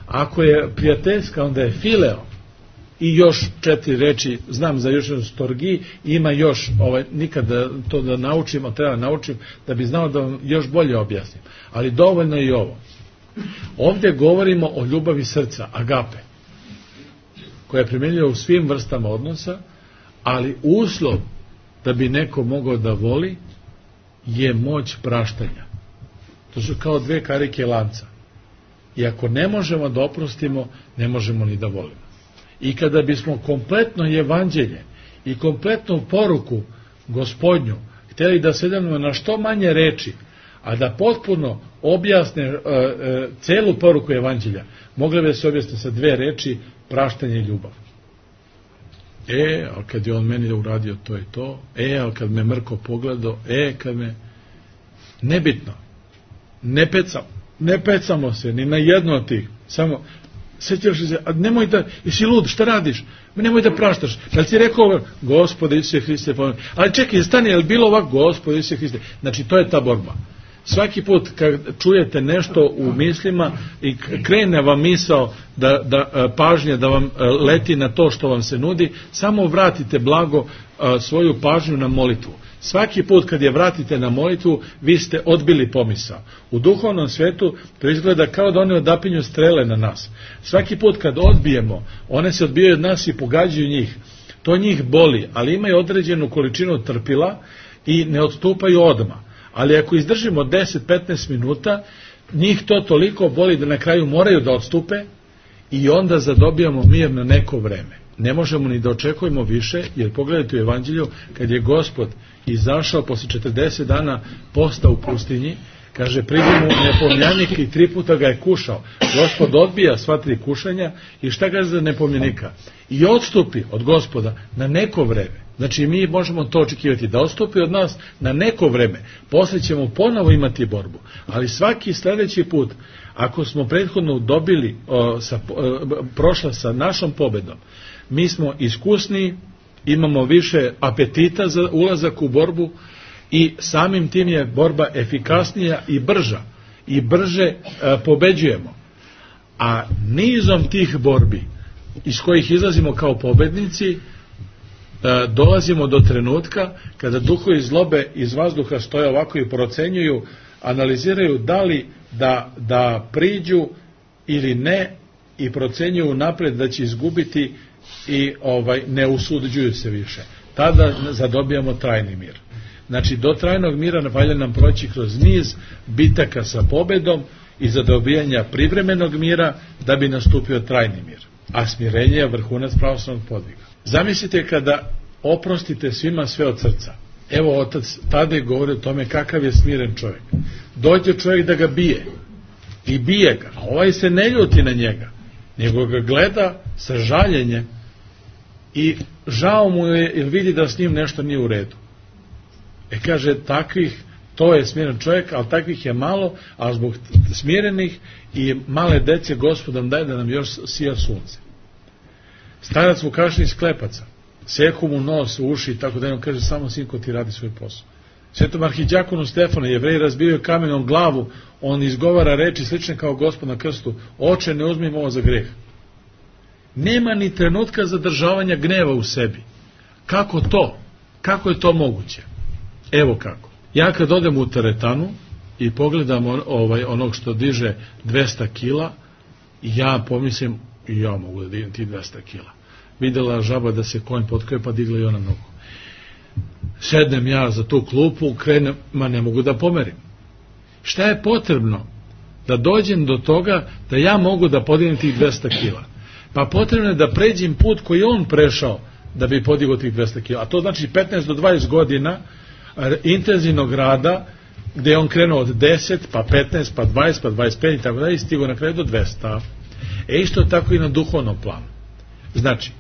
Ako je prijateljska, onda je fileo. I još četiri reči, znam za još jednu storgiji, ima još, ovaj, nikada to da naučim, a treba naučim, da bi znao da vam još bolje objasnim. Ali dovoljno je i ovo. Ovdje govorimo o ljubavi srca, agape, koja je primjenjiva u svim vrstama odnosa, ali uslov da bi neko mogao da voli je moć praštanja. To su kao dve karike lanca. I ako ne možemo da oprostimo, ne možemo ni da volimo. I kada bismo kompletno evanđelje i kompletnu poruku Gospodnju htjeli da sedemo na što manje reči, a da potpuno objasne uh, uh, celu poruku evanđelja, mogle bi se objasniti sa dve reči: praštanje i ljubav. E, ali kad je on meni uradio to i to, e, ali kad me mrko pogledao, e, kad me... Nebitno. Ne pecamo. Ne pecamo se ni na jedno od tih. Samo... Sjećaš se, a nemoj da, jesi lud, šta radiš? Nemoj da praštaš. Da li ti rekao, Gospode Isuse Hriste, pomeni. Ali čekaj, stani, je li bilo ovako, Gospode Isuse Hriste? Znači, to je ta borba. Svaki put kad čujete nešto u mislima i krene vam misao da, da pažnja da vam leti na to što vam se nudi, samo vratite blago svoju pažnju na molitvu. Svaki put kad je vratite na molitvu, vi ste odbili pomisao. U duhovnom svetu to izgleda kao da one odapinju strele na nas. Svaki put kad odbijemo, one se odbijaju od nas i pogađaju njih. To njih boli, ali imaju određenu količinu trpila i ne odstupaju odmah. Ali ako izdržimo deset do petnaest minuta, njih to toliko boli da na kraju moraju da odstupe i onda zadobijamo mir na neko vreme. Ne možemo ni da očekujemo više, jer pogledajte u Evanđelju, kad je Gospod izašao posle četrdeset dana posta u pustinji, kaže, pridi mu nepomljanik i tri puta ga je kušao. Gospod odbija sva tri kušanja i šta kaže za nepomljanika? I odstupi od Gospoda na neko vreme. Znači mi možemo to očekivati, da odstupi od nas na neko vreme. Posle ćemo ponovo imati borbu. Ali svaki sljedeći put, ako smo prethodno dobili, o, sa, o, prošla sa našom pobedom, mi smo iskusni, imamo više apetita za ulazak u borbu i samim tim je borba efikasnija i brža. I brže e, pobeđujemo. A nizom tih borbi iz kojih izlazimo kao pobednici, e, dolazimo do trenutka kada duhovi zlobe iz vazduha stoje ovako i procenjuju, analiziraju da li da, da priđu ili ne i procenjuju napred da će izgubiti i ovaj ne usuđuju se više. Tada zadobijamo trajni mir. Znači, do trajnog mira valja nam proći kroz niz bitaka sa pobedom i zadobijanja privremenog mira da bi nastupio trajni mir. A smirenje je vrhunac pravoslavnog podviga. Zamislite kada oprostite svima sve od srca. Evo, otac tada govori o tome kakav je smiren čovjek. Dođe čovjek da ga bije i bije ga, a ovaj se ne ljuti na njega, nego ga gleda sa žaljenjem i žao mu je jer vidi da s njim nešto nije u redu. E kaže, takvih, to je smiren čovjek, ali takvih je malo, a zbog smirenih i male dece Gospod nam daje da nam još sija sunce. Starac Vukašin iz Klepaca, seku mu nos, uši i tako da on kaže, samo sinko ti radi svoj posao. Svetom arhidjakonu Stefanu, Jevreji razbijaju kamenom glavu, on izgovara reči slične kao Gospod na krstu, oče, ne uzmimo ovo za greh. nema ni trenutka zadržavanja gneva u sebi. Kako to? Kako je to moguće? Evo kako. Ja kad odem u teretanu i pogledam on, ovaj, onog što diže dvesta kila, ja pomislim, i ja mogu da dignem ti dvesta kila. Videla žaba da se konj potkrije, pa digla i ona nogu. Sednem ja za tu klupu, krenem, ma ne mogu da pomerim. Šta je potrebno? Da dođem do toga da ja mogu da podignem tih dvesta kila. Pa potrebno je da pređem put koji on prešao da bi podigao tih dvesta kila. A to znači petnaest do dvadeset godina intenzivnog rada, gde je on krenuo od deset, pa petnaest, pa dvadeset, pa dvadeset pet i tako da i stigo na kraju do dvesta. E isto tako i na duhovnom planu. Znači,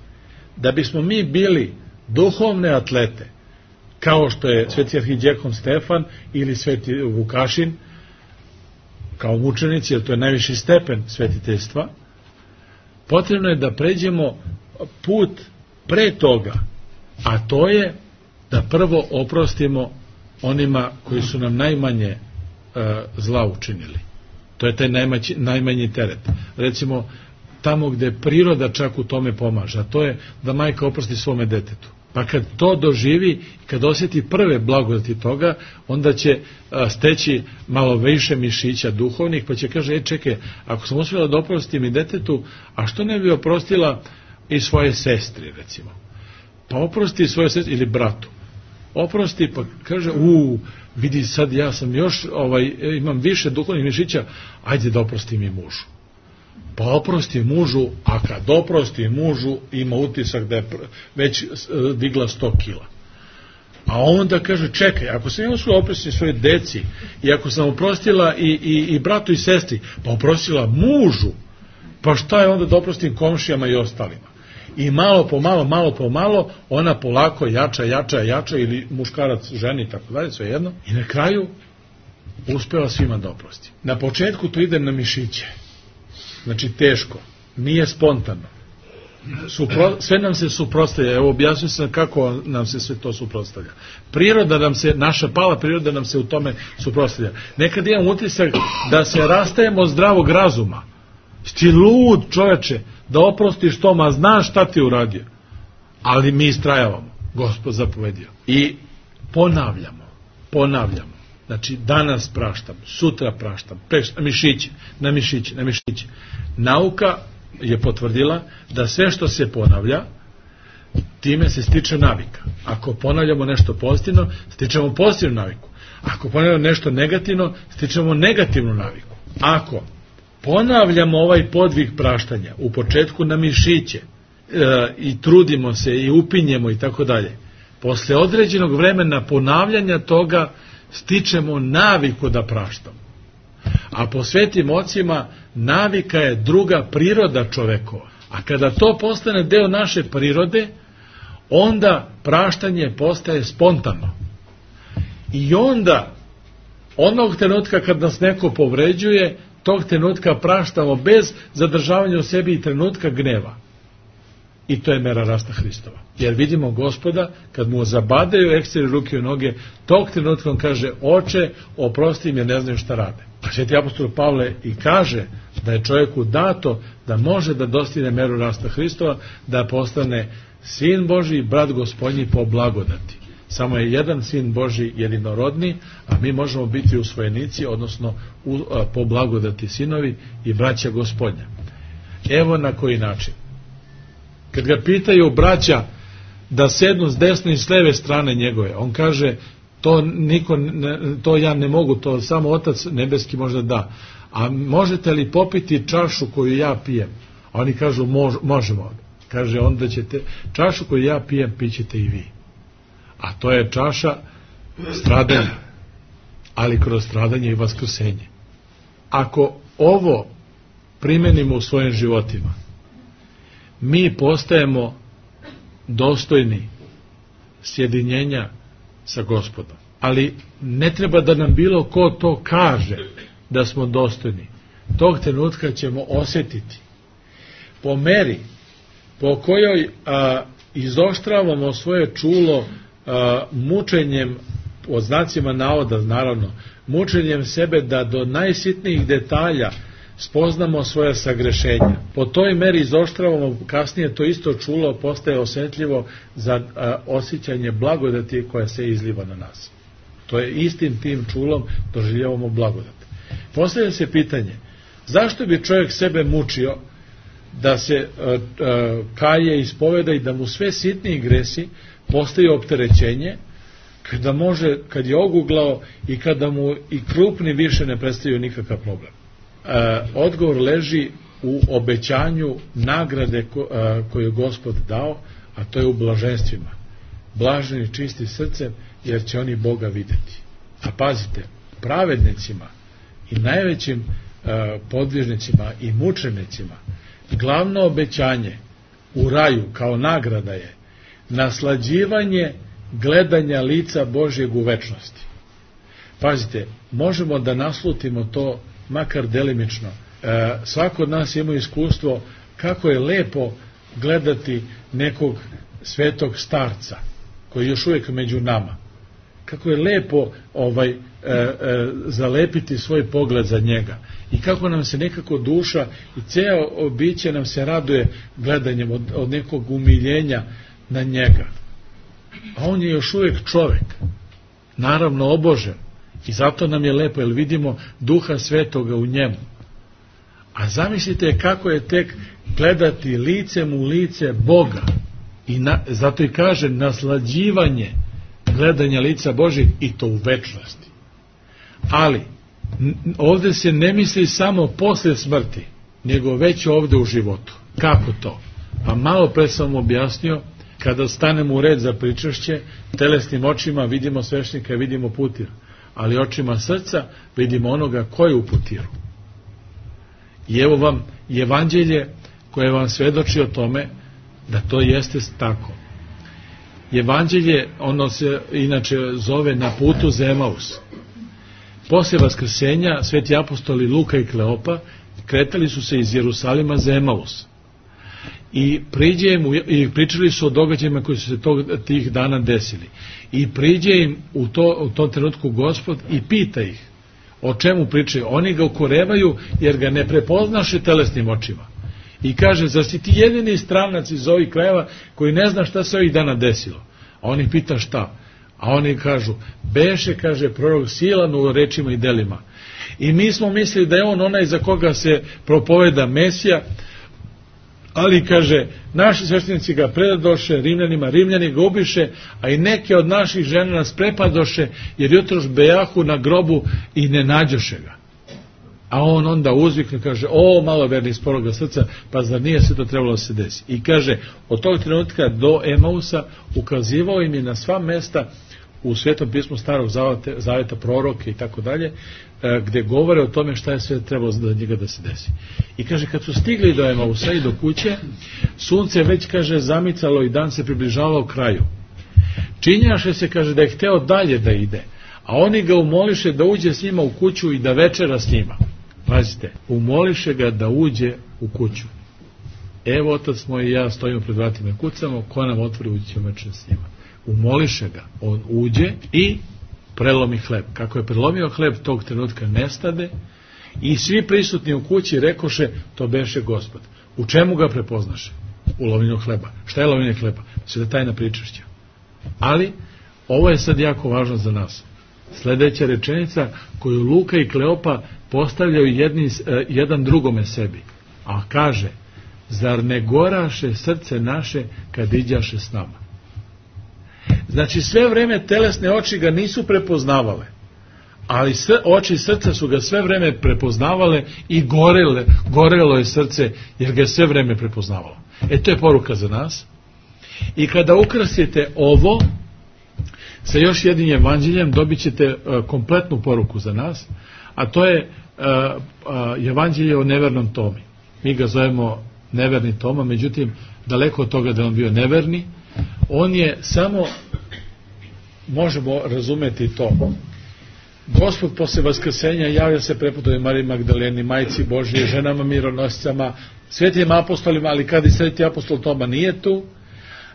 da bismo mi bili duhovne atlete, kao što je sveti arhidijekon Stefan ili sveti Vukašin, kao mučenici, jer to je najviši stepen svetiteljstva, potrebno je da pređemo put pre toga, a to je da prvo oprostimo onima koji su nam najmanje e, zla učinili. To je taj najmaći, najmanji teret. Recimo, tamo gde priroda čak u tome pomaže, a to je da majka oprosti svome detetu. Pa kad to doživi, kad osjeti prve blagodati toga, onda će a, steći malo više mišića duhovnih, pa će kaže, e čekaj, ako sam uspjela da oprostim i detetu, a što ne bi oprostila i svoje sestri, recimo? Pa oprosti svoje sestri ili bratu. Oprosti, pa kaže, u, vidi sad ja sam još, ovaj, imam više duhovnih mišića, ajde da oprostim i mužu. Pa oprosti mužu, a kad oprosti mužu, ima utisak da je već digla sto kila. A onda kaže, čekaj, ako sam ja uspjela oprostiti svoje deci, i ako sam oprostila i, i, i bratu i sestri, pa oprostila mužu, pa šta je onda da oprostim komšijama i ostalima? I malo po malo, malo po malo, ona polako jača, jača, jača, ili muškarac ženi i tako dalje, sve jedno. I na kraju uspela svima da oprosti. Na početku to ide na mišiće. Znači teško, nije spontano. Supro, sve nam se suprotstavlja. Evo objasnio sam kako nam se sve to suprotstavlja. Priroda nam se, naša pala priroda nam se u tome suprotstavlja. Nekad imam utisak da se rastajemo od zdravog razuma. Ti lud, čoveče, da oprostiš to, ma znaš šta ti uradio. Ali mi istrajavamo, Gospod zapovedio. I ponavljamo, ponavljamo. Znači, danas praštam, sutra praštam, preš, na mišiće, na mišiće, na mišiće. Nauka je potvrdila da sve što se ponavlja, time se stiče navika. Ako ponavljamo nešto pozitivno, stičemo pozitivnu naviku. Ako ponavljamo nešto negativno, stičemo negativnu naviku. Ako ponavljamo ovaj podvig praštanja u početku na mišiće e, i trudimo se i upinjemo i tako dalje, posle određenog vremena ponavljanja toga stičemo naviku da praštamo. A po svetim ocima navika je druga priroda čovekova. A kada to postane deo naše prirode, onda praštanje postaje spontano. I onda, onog trenutka kad nas neko povređuje, tog trenutka praštamo bez zadržavanja u sebi i trenutka gneva. I to je mera rasta Hristova. Jer vidimo Gospoda, kad mu zabadaju eksteri ruke i noge, tog trenutka on kaže, oče, oprosti im jer ne znaju šta rade. A sveti apostol Pavle i kaže da je čovjeku dato da može da dostigne meru rasta Hristova, da postane sin Božji, brat Gospodnji po blagodati. Samo je jedan sin Božji jedinorodni, a mi možemo biti usvojenici, odnosno u, a, po blagodati sinovi i braća Gospodnja. Evo na koji način. Kad ga pitaju braća da sednu s desne i s leve strane njegove, on kaže, to, niko ne, to ja ne mogu, to samo Otac nebeski možda da. A možete li popiti čašu koju ja pijem? A oni kažu, mož, možemo. Kaže, onda ćete, čašu koju ja pijem, pićete i vi. A to je čaša stradanja, ali kroz stradanje i vaskrsenje. Ako ovo primenimo u svojim životima, mi postajemo dostojni sjedinjenja sa Gospodom. Ali ne treba da nam bilo ko to kaže da smo dostojni. Tog trenutka ćemo osjetiti po meri po kojoj a, izoštravamo svoje čulo a, mučenjem, od znacima navoda naravno, mučenjem sebe da do najsitnijih detalja spoznamo svoja sagrešenja. Po toj meri izoštravamo, kasnije to isto čulo postaje osjetljivo za a, osjećanje blagodati koja se izliva na nas. To je istim tim čulom doživljavamo blagodat. Postavlja se pitanje, zašto bi čovjek sebe mučio da se a, a, kaje, ispoveda i da mu sve sitniji gresi postaju opterećenje, kada može, kad je oguglao i kada mu i krupni više ne predstavljaju nikakav problem. E, odgovor leži u obećanju nagrade ko, a, koju je Gospod dao, a to je u blaženstvima. Blaženi čisti srcem, jer će oni Boga vidjeti. A pazite, pravednicima i najvećim a, podvižnicima i mučenicima glavno obećanje u raju kao nagrada je naslađivanje gledanja lica Božjeg u večnosti. Pazite, možemo da naslutimo to makar delimično. E, svako od nas ima iskustvo kako je lepo gledati nekog svetog starca koji je još uvijek među nama. Kako je lepo ovaj, e, e, zalepiti svoj pogled za njega. I kako nam se nekako duša i ceo biće nam se raduje gledanjem od, od nekog umiljenja na njega. A on je još uvijek čovjek, naravno obožen, i zato nam je lepo, jer vidimo Duha Svetoga u njemu. A zamislite kako je tek gledati licem u lice Boga, i na, zato i kaže naslađivanje gledanja lica Božjeg, i to u večnosti. Ali ovdje se ne misli samo posle smrti, nego već ovdje u životu. Kako to? Pa malo pre sam objasnio, kada stanemo u red za pričašće, telesnim očima vidimo sveštenika, vidimo putir, ali očima srca vidimo onoga ko je u putiru. I evo vam evanđelje koje vam svedoči o tome da to jeste tako. Evanđelje, ono se inače zove Na putu za Emaus. Posle vaskrsenja sveti apostoli Luka i Kleopa kretali su se iz Jerusalima za Emaus. I priđe im, i pričali su o događajima koji su se tog, tih dana desili. I priđe im u, to, u tom trenutku Gospod i pita ih o čemu pričaju. Oni ga ukorevaju jer ga ne prepoznaše telesnim očima. I kaže, zar si ti jedini stranac iz ovih krajeva koji ne zna šta se ovih dana desilo? A oni pita šta? A oni kažu, beše, kaže prorok silan u rečima i delima. I mi smo mislili da je on onaj za koga se propoveda Mesija, ali, kaže, naši sveštenici ga predadoše Rimljanima, Rimljani ga ubiše, a i neke od naših žena nas prepadoše, jer jutroš bejahu na grobu i ne nađoše ga. A on onda uzvikne, kaže, o, maloverni iz poroga srca, pa zar nije sve to trebalo da se desi? I kaže, od tog trenutka do Emausa ukazivao im je na sva mesta u Svetom pismu Starog zaveta, zaveta proroke i tako dalje, gde govore o tome šta je sve trebalo za njega da se desi. I kaže, kad su stigli do Emausa i do kuće, sunce već, kaže, zamicalo i dan se približavao kraju. Činjaše se, kaže, da je hteo dalje da ide, a oni ga umoliše da uđe s njima u kuću i da večera s njima. Pazite, umoliše ga da uđe u kuću. Evo, otac moj i ja stojimo pred vratima i kucamo, ko nam otvori, ući ćemo večera s njima. Umoliše ga, on uđe i prelomi hleb. Kako je prelomio hleb, tog trenutka nestade i svi prisutni u kući rekoše, to beše Gospod. U čemu ga prepoznaše? U lovljenju hleba. Šta je lovljenje hleba? Sve je tajna pričašća. Ali, ovo je sad jako važno za nas. Sljedeća rečenica koju Luka i Kleopa postavljaju jedni, jedan drugome sebi. A kaže, zar ne goraše srce naše kad iđaše s nama? Znači, sve vreme telesne oči ga nisu prepoznavale, ali oči srca su ga sve vreme prepoznavale i gorele, gorelo je srce jer ga je sve vreme prepoznavalo. E, to je poruka za nas. I kada ukrasite ovo sa još jednim evanđeljem, dobit ćete uh, kompletnu poruku za nas, a to je uh, uh, evanđelje o nevernom Tomi. Mi ga zovemo neverni Toma, međutim, daleko od toga da on bio neverni, on je samo, možemo razumeti to, Gospod posle vaskrsenja javlja se prepodobnoj Mariji Magdaleni, majci Božije, ženama mironosicama, svetim apostolima, ali kada i sveti apostol Toma nije tu,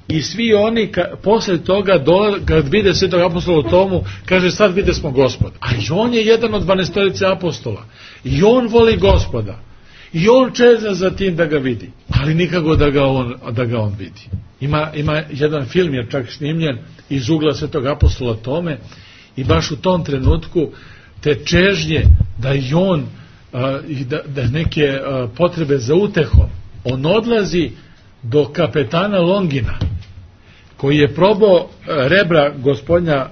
i svi oni ka, posle toga do, kad vide svetog apostola Tomu, kaže, sad vide smo Gospoda. A i on je jedan od dvanaestorice apostola i on voli Gospoda. I on čeza za tim da ga vidi, ali nikako da ga on, da ga on vidi. Ima, ima jedan film je čak snimljen iz ugla svetog apostola Tome i baš u tom trenutku te čežnje da i on i da, da neke potrebe za utehom, on odlazi do kapetana Longina koji je probao rebra gospodnja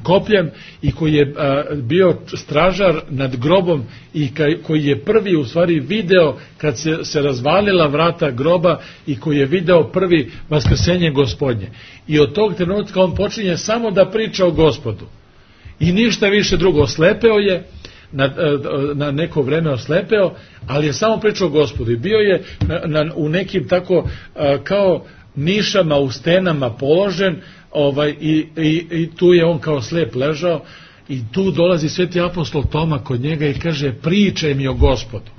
kopljem i koji je bio stražar nad grobom i koji je prvi u stvari video kad se, se razvalila vrata groba i koji je video prvi vaskrsenje gospodnje. I od tog trenutka on počinje samo da priča o Gospodu. I ništa više drugo. Oslepeo je, na, na neko vreme oslepeo, ali je samo pričao o Gospodu. I bio je na, na, u nekim tako kao nišama u stenama položen, ovaj, i, i, i tu je on kao slep ležao i tu dolazi sveti apostol Toma kod njega i kaže pričaj mi o Gospodu.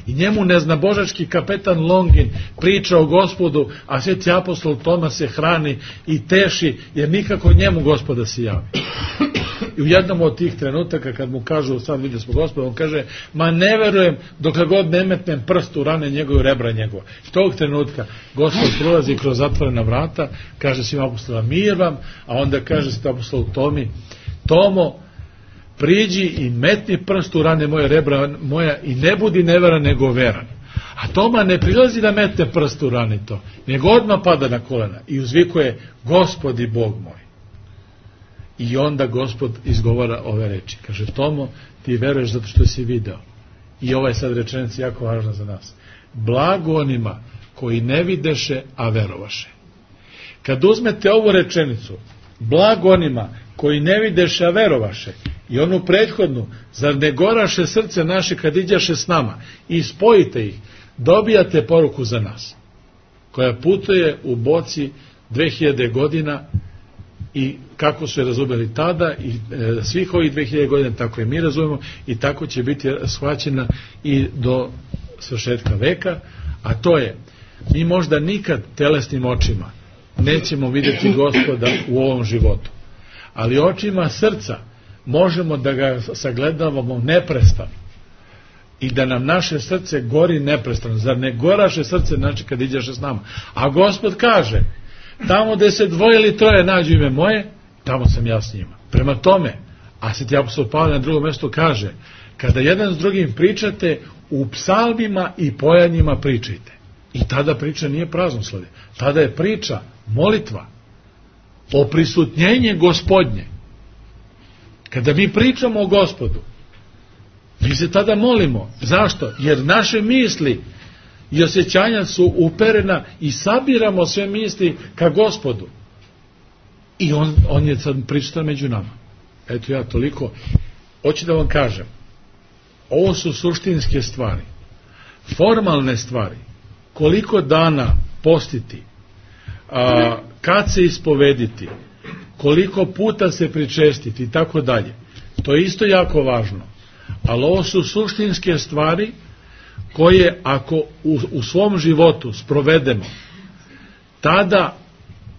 I njemu neznabožački kapetan Longin priča o Gospodu, a sveti apostol Toma se hrani i teši jer nikako njemu Gospoda se javi. I u jednom od tih trenutaka kad mu kažu sad vidio smo Gospoda, on kaže ma ne verujem dok god ne metnem prst u rane njegove, rebra njegova. I tog trenutka Gospod prolazi kroz zatvorena vrata, kaže svim apostolima mir vam, a onda kaže sveti apostol Tomi, Tomo, priđi i metni prst u rane moje, rebra moja, i ne budi neveran nego veran. A Toma ne prilazi da metne prst u rane to, nego odmah pada na kolena i uzvikuje Gospod i Bog moj. I onda Gospod izgovara ove reči. Kaže, Tomo, ti veruješ zato što si video. I ova je sad rečenica jako važna za nas. Blago onima koji ne videše, a verovaše. Kad uzmete ovu rečenicu, blago onima koji ne videše, a verovaše, i onu prethodnu, zar ne goraše srce naše kad iđaše s nama, i spojite ih, dobijate poruku za nas, koja putuje u boci dve hiljade godina. I kako su je razumeli tada i e, svih ovih dve hiljade godina, tako i mi razumemo i tako će biti shvaćena i do svršetka veka, a to je, mi možda nikad telesnim očima nećemo vidjeti Gospoda u ovom životu, ali očima srca možemo da ga sagledavamo neprestano i da nam naše srce gori neprestano. Zar ne goraše srce znači kad iđeš s nama? A Gospod kaže, tamo gde se dvoje ili troje nađu ime moje, tamo sam ja s njima. Prema tome, a sveti apostol Pavle na drugom mjestu kaže, kada jedan s drugim pričate, u psalmima i pojanjima pričajte. I tada priča nije praznoslovje. Tada je priča, molitva, oprisutnjenje Gospodnje. Kada mi pričamo o Gospodu, mi se tada molimo. Zašto? Jer naše misli i osjećanja su uperena i sabiramo sve misli ka Gospodu. I on, on je sad prisutan među nama. Eto ja toliko. Hoću da vam kažem, ovo su suštinske stvari. Formalne stvari. Koliko dana postiti, a, kad se ispovediti, koliko puta se pričestiti i tako dalje. To je isto jako važno. Ali ovo su suštinske stvari koje ako u, u svom životu sprovedemo, tada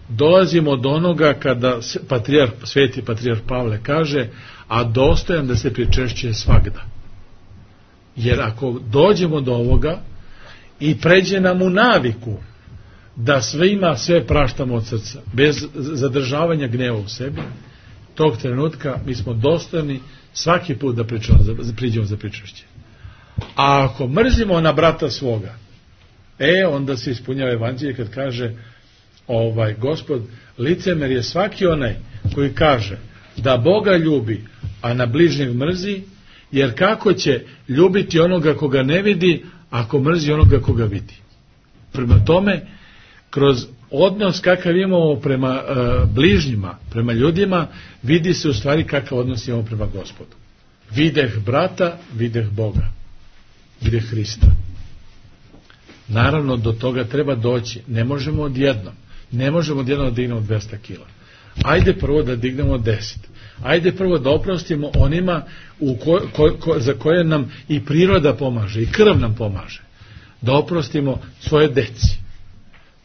dolazimo do onoga kada patrijarh, sveti patrijarh Pavle kaže, a dostojan da se pričešćuje svagda. Jer ako dođemo do ovoga i pređe nam u naviku da svima sve praštamo od srca, bez zadržavanja gneva u sebi, tog trenutka mi smo dostojni svaki put da pričamo, priđemo za pričešće. A ako mrzimo na brata svoga, e, onda se ispunjava evanđelje kad kaže ovaj Gospod, licemer je svaki onaj koji kaže da Boga ljubi, a na bližnjeg mrzi, jer kako će ljubiti onoga koga ne vidi, ako mrzi onoga koga vidi. Prema tome, kroz odnos kakav imamo prema uh, bližnjima, prema ljudima, vidi se u stvari kakav odnos imamo prema Gospodu. Videh brata, videh Boga. Videh Hrista. Naravno, do toga treba doći. Ne možemo odjednom. Ne možemo odjednom da dignemo dvesta kila. Ajde prvo da dignemo deset. Ajde prvo da oprostimo onima u ko, ko, ko, za koje nam i priroda pomaže, i krv nam pomaže. Da oprostimo svoje deci.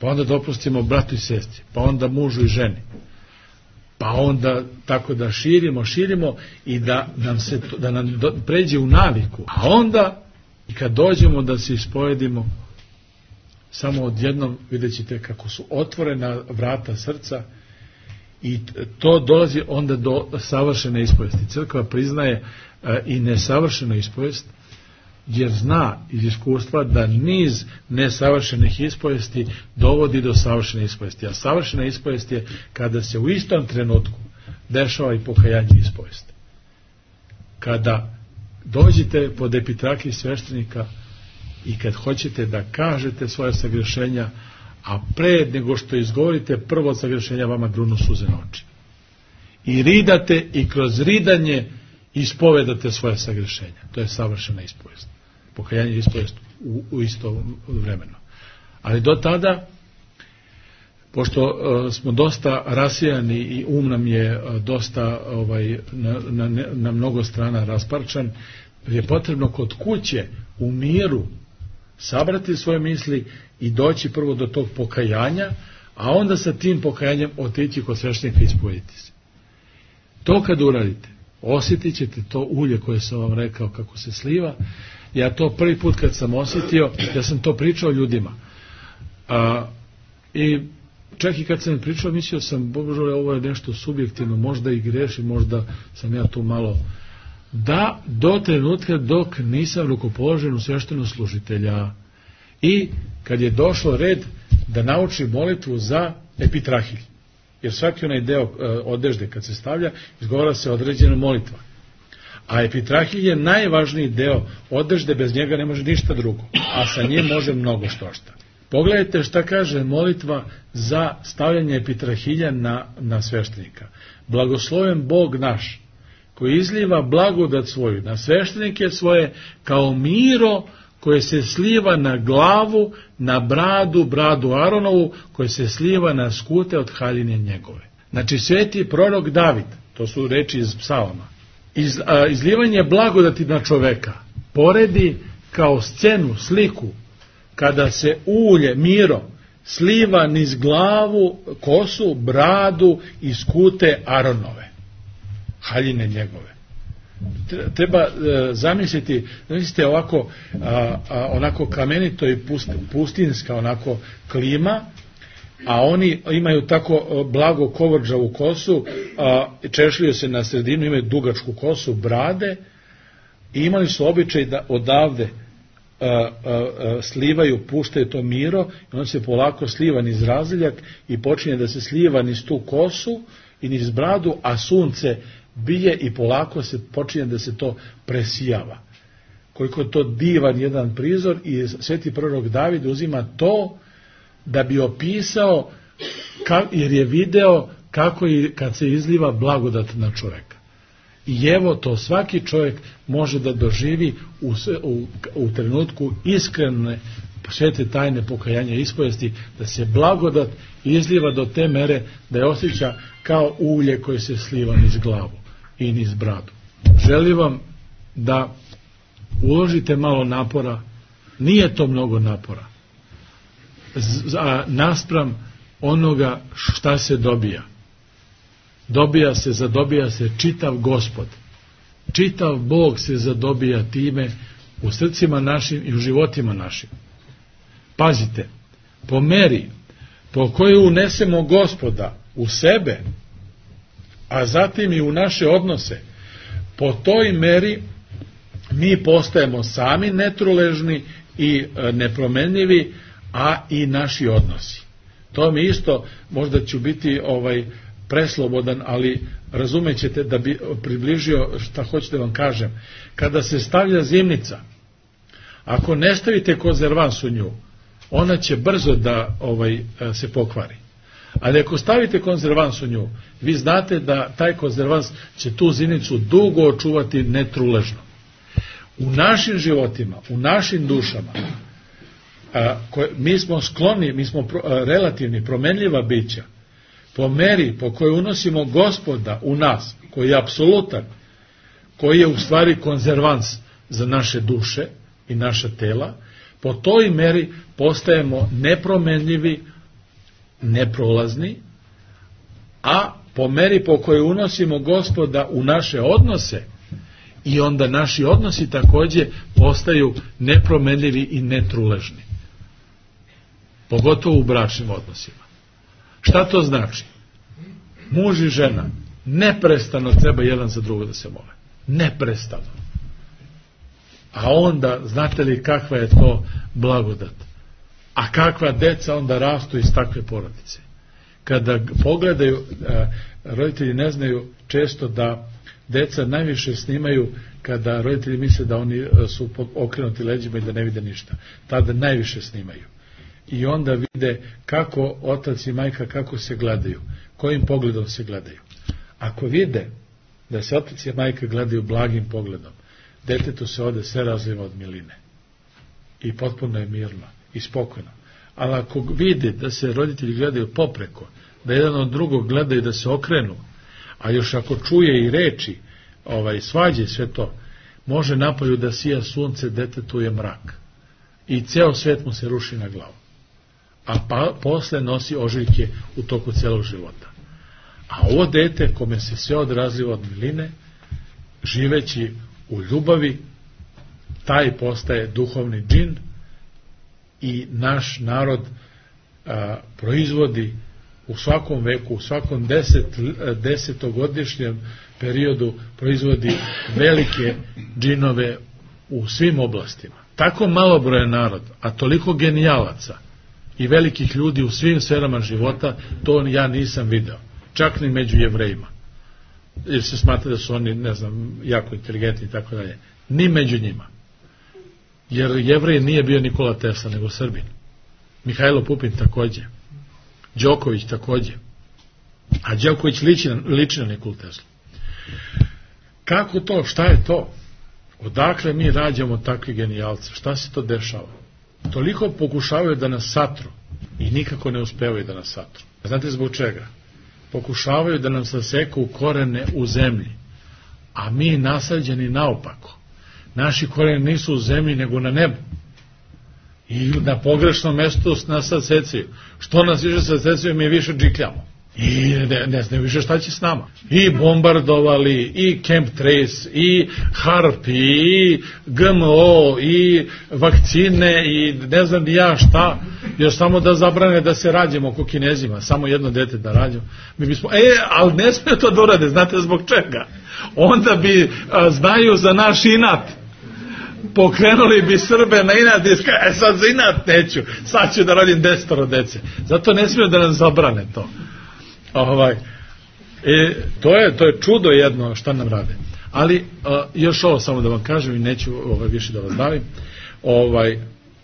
Pa onda da oprostimo bratu i sestri. Pa onda mužu i ženi. Pa onda tako da širimo, širimo i da nam se da nam do, pređe u naviku. A onda I kad dođemo da se ispovedimo, samo odjednom vidjet ćete kako su otvorena vrata srca i to dolazi onda do savršene ispovesti. Crkva priznaje e, i nesavršenu ispovest, jer zna iz iskustva da niz nesavršenih ispovesti dovodi do savršene ispovesti. A savršena ispovest je kada se u istom trenutku dešava i pokajanje ispovesti. Kada dođete pod epitrahiju sveštenika i kad hoćete da kažete svoje sagrešenja, a pre nego što izgovorite prvo sagrešenja vama grunu suze na oči. I ridate i kroz ridanje ispovedate svoje sagrešenja. To je savršena ispovest. Pokajanje i ispovest u, u isto vremeno. Ali do tada, pošto uh, smo dosta rasijani i um nam je uh, dosta ovaj, na, na, na mnogo strana rasparčan, je potrebno kod kuće u miru sabrati svoje misli i doći prvo do tog pokajanja, a onda sa tim pokajanjem otići kod sveštenika i ispovediti se. To kad uradite, osjetit ćete to ulje koje sam vam rekao kako se sliva. Ja to prvi put kad sam osjetio, ja sam to pričao ljudima. A, I čak i kad sam pričao, mislio sam, Bože, ovo je nešto subjektivno, možda i grešim, možda sam ja tu malo... Da, do trenutka dok nisam rukopoložen u sveštenu služitelja i kad je došlo red da nauči molitvu za epitrahilj. Jer svaki onaj deo e, odežde kad se stavlja, izgovara se određena molitva. A epitrahilj je najvažniji deo odežde, bez njega ne može ništa drugo, a sa njim može mnogo što šta. Pogledajte šta kaže molitva za stavljanje epitrahilja na, na sveštenika. Blagosloven Bog naš, koji izliva blagodat svoju na sveštenike svoje, kao miro koje se sliva na glavu, na bradu, bradu Aronovu, koje se sliva na skute od haljine njegove. Znači, sveti prorok David, to su reči iz psalama, iz, a, izlivanje blagodati na čoveka poredi kao scenu, sliku, kada se ulje, miro, sliva niz glavu, kosu, bradu i skute Aronove, haljine njegove. Treba e, zamisliti, zamislite ovako, a, a, onako kamenito i pust, pustinska onako klima, a oni imaju tako blago kovrđavu kosu, a, češljaju se na sredinu, imaju dugačku kosu, brade, i imali su običaj da odavde a, a, a, slivaju, puštaju to miro, i on se polako sliva niz razliljak i počinje da se sliva niz tu kosu i niz bradu, a sunce bije i polako se počinje da se to presijava. Koliko je to divan jedan prizor, i sveti prorok David uzima to da bi opisao, jer je video kako je kad se izliva blagodat na čovjeka. I evo to svaki čovjek može da doživi u, u, u trenutku iskrene svete tajne pokajanja i ispovesti, da se blagodat izliva do te mere da je osjeća kao ulje koje se sliva niz glavu i niz bradu. Želim vam da uložite malo napora, nije to mnogo napora, a naspram onoga šta se dobija. Dobija se, zadobija se čitav Gospod. Čitav Bog se zadobija time u srcima našim i u životima našim. Pazite, po meri po kojoj unesemo Gospoda u sebe, a zatim i u naše odnose, po toj meri mi postajemo sami netruležni i nepromenljivi, a i naši odnosi. To mi isto, možda ću biti ovaj preslobodan, ali razumećete da bi približio šta hoćete da vam kažem. Kada se stavlja zimnica, ako ne stavite konzervans u nju, ona će brzo da ovaj se pokvari. Ali ako stavite konzervans u nju, vi znate da taj konzervans će tu zimnicu dugo očuvati netruležno. U našim životima, u našim dušama, a, koje, mi smo skloni, mi smo pro, a, relativni, promenljiva bića, po meri po kojoj unosimo Gospoda u nas, koji je apsolutan, koji je u stvari konzervans za naše duše i naša tela, po toj meri postajemo nepromenljivi, neprolazni, a po meri po kojoj unosimo Gospoda u naše odnose I onda naši odnosi takođe postaju nepromenljivi i netruležni. Pogotovo u bračnim odnosima. Šta to znači? Muž i žena neprestano treba jedan za drugo da se mole. Neprestano. A onda, znate li kakva je to blagodat? A kakva deca onda rastu iz takve porodice? Kada pogledaju, roditelji ne znaju često da deca najviše snimaju kada roditelji misle da oni su okrenuti leđima i da ne vide ništa. Tada najviše snimaju. I onda vide kako otac i majka kako se gledaju, kojim pogledom se gledaju. Ako vide da se otac i majka gledaju blagim pogledom, detetu se ode sve razliva od miline. I potpuno je mirno i spokojno. Ali ako vidi da se roditelji gledaju popreko, da jedan od drugog gledaju da se okrenu, a još ako čuje i reči, ovaj, svađe sve to, može napolju da sija sunce, detetu je mrak. I ceo svet mu se ruši na glavu. A pa, posle nosi ožiljke u toku celog života. A ovo dete, kome se sve odrazliva od miline, živeći u ljubavi, taj postaje duhovni džin i naš narod a, proizvodi u svakom veku, u svakom deset, desetogodišnjem periodu proizvodi velike džinove u svim oblastima. Tako malobrojan narod, a toliko genijalaca i velikih ljudi u svim sferama života, to ja nisam video. Čak ni među Jevrejima. Jer se smatra da su oni, ne znam, jako inteligentni i tako dalje. Ni među njima. Jer Jevrej nije bio Nikola Tesla, nego Srbin. Mihajlo Pupin takođe. Đoković takođe. A Đoković liči, liči na Nikolu Teslu. Kako to? Šta je to? Odakle mi rađamo takvi genijalce? Šta se to dešava? Toliko pokušavaju da nas satru i nikako ne uspevaju da nas satru. Znate zbog čega? Pokušavaju da nam saseku korene u zemlji, a mi nasađeni naopako. Naši koreni nisu u zemlji, nego na nebu. I na pogrešnom mestu nas sasecaju. Što nas više sasecaju, mi više džikljamo. I ne, ne znaju više šta će s nama. I bombardovali, i Camp Trace, i Harp, i G M O, i vakcine, i ne znam ni ja šta, još samo da zabrane da se rađemo oko Kinezima, samo jedno dete da rađemo. Mi bismo, e, ali ne smije to da urade, znate zbog čega? Onda bi, a, znaju za naš inat, pokrenuli bi Srbe na inat i ska, e sad za inat neću, sad ću da radim desetoro dece. Zato ne smiju da nam zabrane to. Ovaj, e, to, je, to je čudo jedno šta nam rade. Ali a, još ovo samo da vam kažem i neću ovaj, više da vas davim. Ovaj,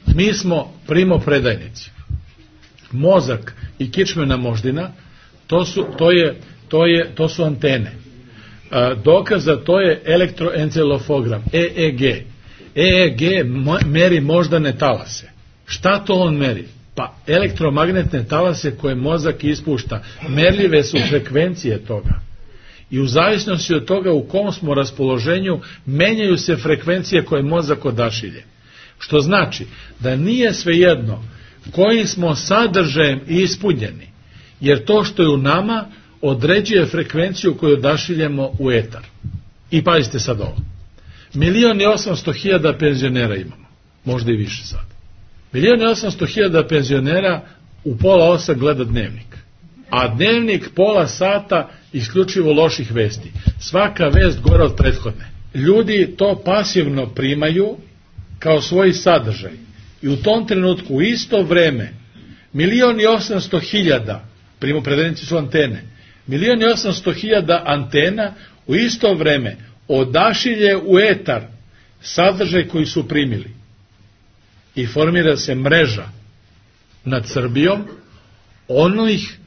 mi smo primopredajnici. Mozak i kičmena moždina, to su, to je, to je, to su antene. A, dokaz za to je elektroencefalogram, E E G. E E G meri moždane talase. Šta to on meri? Pa elektromagnetne talase koje mozak ispušta, merljive su frekvencije toga. I u zavisnosti od toga u kom smo raspoloženju, menjaju se frekvencije koje mozak odašilje. Što znači da nije svejedno kojim smo sadržajem ispunjeni, jer to što je u nama određuje frekvenciju koju odašiljemo u etar. I pazite sad ovo. Milion i osamsto hiljada penzionera imamo, možda i više sad. Milion i osamsto hiljada penzionera u pola osam gleda dnevnik. A dnevnik pola sata isključivo loših vesti. Svaka vest gora od prethodne. Ljudi to pasivno primaju kao svoj sadržaj. I u tom trenutku, u isto vreme, milion i osamsto hiljada, primopredajnici su antene, milion i osamsto hiljada antena u isto vreme odašilje u etar sadržaj koji su primili. I formira se mreža nad Srbijom onih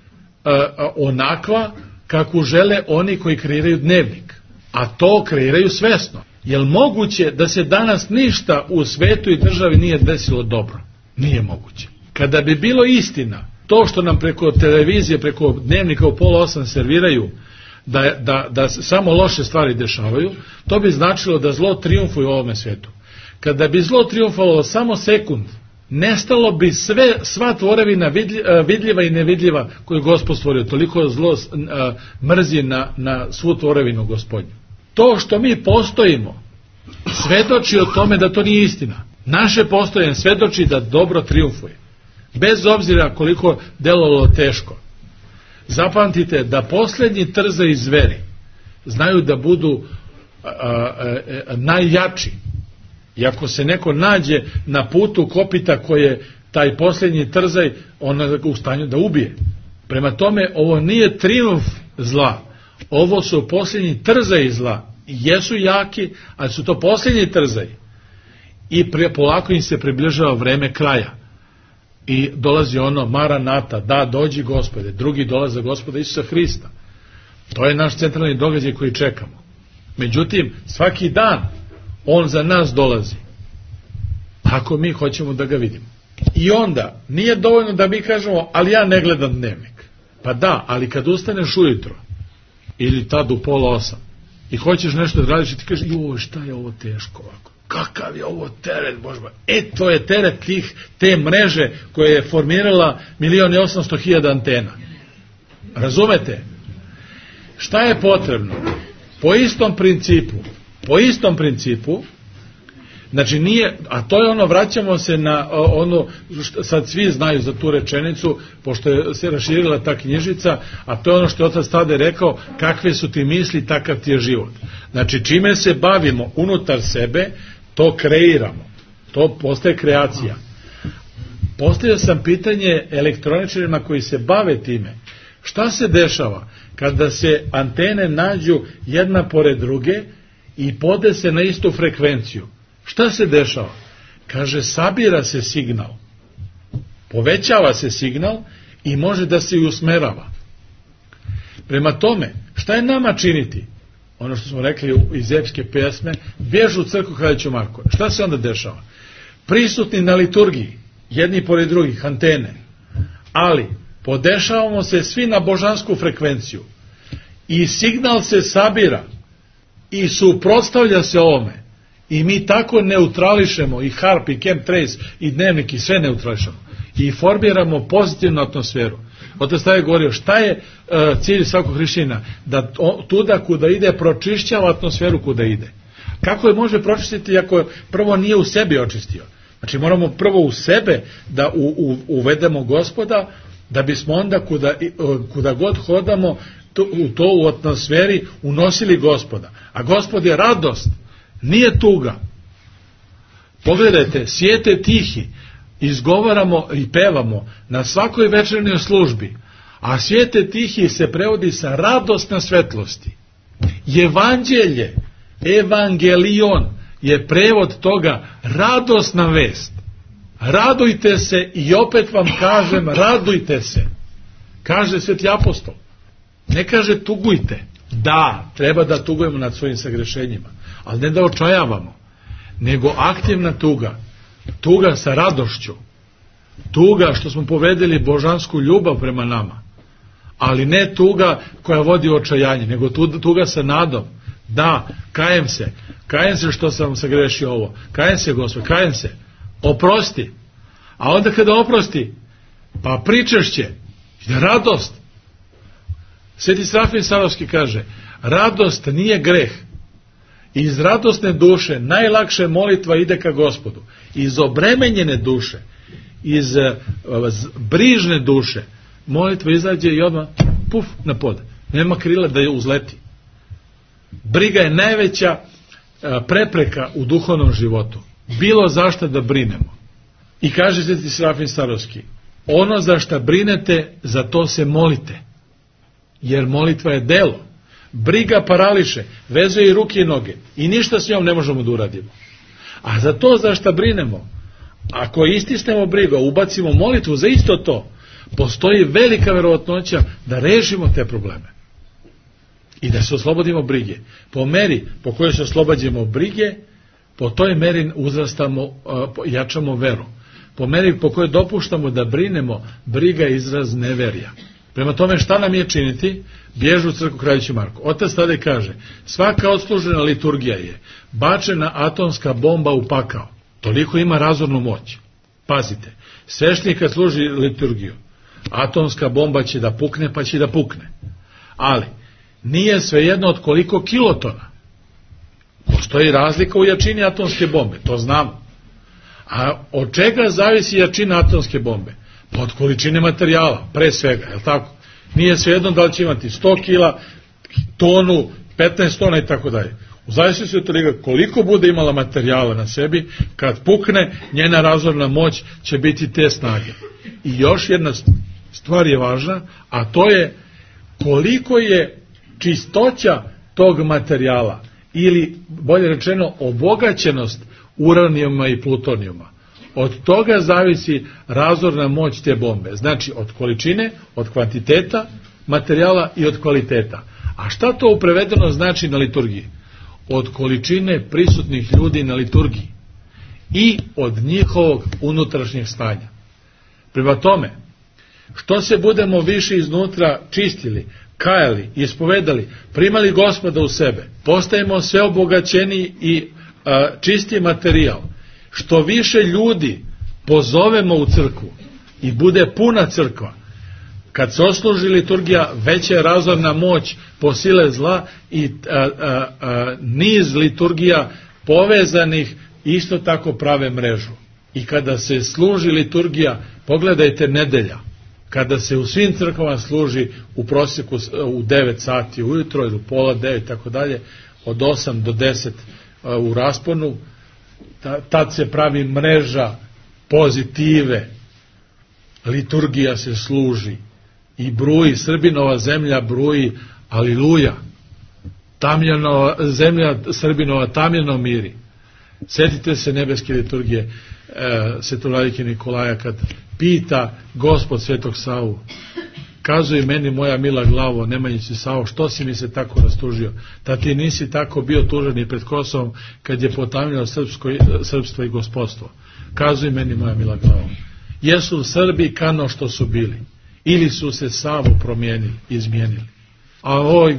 a, onakva kako žele oni koji kreiraju dnevnik. A to kreiraju svesno. Je li moguće da se danas ništa u svetu i državi nije desilo dobro? Nije moguće. Kada bi bilo istina, to što nam preko televizije, preko dnevnika u pola osam serviraju, da, da, da samo loše stvari dešavaju, to bi značilo da zlo trijumfuje u ovome svetu. Kada bi zlo trijumfovalo samo sekund, nestalo bi sve, sva tvorevina vidljiva i nevidljiva koju Gospod stvorio. Toliko zlo mrzi na, na svu tvorevinu Gospodnju. To što mi postojimo svedoči o tome da to nije istina. Naše postojanje svedoči da dobro trijumfuje. Bez obzira koliko delovalo teško. Zapamtite da posljednji trzaji zveri znaju da budu a, a, a, najjači. I ako se neko nađe na putu kopita koje taj posljednji trzaj, on je u stanju da ubije. Prema tome, ovo nije trijumf zla. Ovo su posljednji trzaji zla. Jesu jaki, ali su to posljednji trzaji. I pre, polako im se približava vreme kraja. I dolazi ono Maranata, da dođi Gospode, drugi dolaze Gospoda Isusa Hrista. To je naš centralni događaj koji čekamo. Međutim, svaki dan on za nas dolazi. Ako mi hoćemo da ga vidimo. I onda, nije dovoljno da mi kažemo, ali ja ne gledam dnevnik. Pa da, ali kad ustaneš ujutro, ili tad u pola osam, i hoćeš nešto da radiš i ti kažeš, joj, šta je ovo teško ovako? Kakav je ovo teret, Bože moj? E, to je teret tih, te mreže koje je formirala milion i osamsto hiljada antena. Razumete? Šta je potrebno? Po istom principu, po istom principu, znači nije, a to je ono, vraćamo se na ono, sad svi znaju za tu rečenicu, pošto je se raširila ta knjižica, a to je ono što je otac Tade rekao, kakve su ti misli, takav ti je život. Znači, čime se bavimo unutar sebe, to kreiramo. To postaje kreacija. Postavio sam pitanje elektroničarima koji se bave time. Šta se dešava kada se antene nađu jedna pored druge i podese na istu frekvenciju? Šta se dešava? Kaže, sabira se signal. Povećava se signal i može da se i usmerava. Prema tome, šta je nama činiti? Ono što smo rekli iz epske pesme, bježu u crkvu Kraljiću Marko. Šta se onda dešava? Prisutni na liturgiji, jedni pored drugih, antene, ali podešavamo se svi na božansku frekvenciju i signal se sabira i suprotstavlja se ovome i mi tako neutrališemo i harp i chemtrace i dnevnik i sve neutrališemo i formiramo pozitivnu atmosferu. Otac Tade je govorio, šta je uh, cilj svakog hrišćanina? Da o, tuda kuda ide pročišćava atmosferu kuda ide. Kako je može pročistiti ako prvo nije u sebi očistio? Znači moramo prvo u sebe da u, u, uvedemo Gospoda, da bismo onda kuda, kuda god hodamo to, u to u atmosferi unosili Gospoda. A Gospod je radost, nije tuga. Pogledajte, sjete tihi, izgovaramo i pevamo na svakoj večernjoj službi, a svijete tihi se prevodi sa radosna svetlosti. Evanđelje, evangelion je prevod toga radosna vest. Radujte se i opet vam kažem, radujte se. Kaže sveti apostol. Ne kaže tugujte. Da, treba da tugujemo nad svojim sagrešenjima, ali ne da očajavamo, nego aktivna tuga. Tuga sa radošću. Tuga što smo povedeli božansku ljubav prema nama. Ali ne tuga koja vodi u očajanje, nego tuga sa nadom. Da, kajem se. Kajem se što sam sagrešio ovo. Kajem se, Gospod, kajem se. Oprosti. A onda kada oprosti, pa pričešće. Radost. Sveti Serafim Sarovski kaže, radost nije greh. Iz radosne duše najlakše molitva ide ka Gospodu. Iz obremenjene duše, iz uh, brižne duše, molitva izađe i odmah, puf, na pod. Nema krila da je uzleti. Briga je najveća uh, prepreka u duhovnom životu. Bilo zašto da brinemo. I kaže Sveti Serafim Sarovski, ono za šta brinete, za to se molite. Jer molitva je delo. Briga parališe, vezuje i ruke i noge i ništa s njom ne možemo da uradimo. A za to za šta brinemo, ako istisnemo brigu, ubacimo molitvu za isto to, postoji velika verovatnoća da rešimo te probleme i da se oslobodimo brige. Po meri po kojoj se oslobađamo brige, po toj meri uzrastamo, jačamo veru. Po meri po kojoj dopuštamo da brinemo, briga je izraz neverja. Prema tome, šta nam je činiti? Bježu u crkvu Kraljiću Marko. Otac Tade kaže, svaka odslužena liturgija je bačena atomska bomba u pakao. Toliko ima razornu moć. Pazite, sveštenik kad služi liturgiju, atomska bomba će da pukne, pa će da pukne. Ali, nije svejedno od koliko kilotona. Postoji razlika u jačini atomske bombe, to znamo. A od čega zavisi jačina atomske bombe? Pa od količine materijala, pre svega, je li tako? Nije svejedno da li će imati sto kila, tonu, petnaest tona i tako dalje. U zavisnosti od toga koliko bude imala materijala na sebi, kad pukne, njena razorna moć će biti te snage. I još jedna stvar je važna, a to je koliko je čistoća tog materijala, ili bolje rečeno obogaćenost uranijuma i plutonijuma. Od toga zavisi razorna moć te bombe. Znači od količine, od kvantiteta materijala i od kvaliteta. A šta to u prevedeno znači na liturgiji? Od količine prisutnih ljudi na liturgiji i od njihovog unutrašnjeg stanja. Prema tome, što se budemo više iznutra čistili, kajali, ispovedali, primali Gospoda u sebe, postajemo sve obogaćeni i a, čisti materijal, što više ljudi pozovemo u crkvu i bude puna crkva, kad se osluži liturgija, veća je razorna moć po sile zla i a, a, a, niz liturgija povezanih isto tako prave mrežu. I kada se služi liturgija, pogledajte nedelja, kada se u svim crkvama služi u prosjeku u devet sati ujutro ili u pola devet, tako dalje, od osam do deset u rasponu, tad se pravi mreža pozitive, liturgija se služi i bruji, Srbinova zemlja bruji, aliluja, tamljanova, zemlja Srbinova tamljeno miri. Sjetite se nebeske liturgije e, Svetovladike Nikolaja kad pita Gospod Svetog Savu, kazuj meni moja mila glavo, Nemanjici Savo, što si mi se tako rastužio, da ti nisi tako bio tužan i pred Kosovom kad je potamljeno srpsko, srpstvo i gospodstvo. Kazuj meni moja mila glavo. Jesu Srbi kano što su bili, ili su se Savo promijenili, izmijenili. A oj,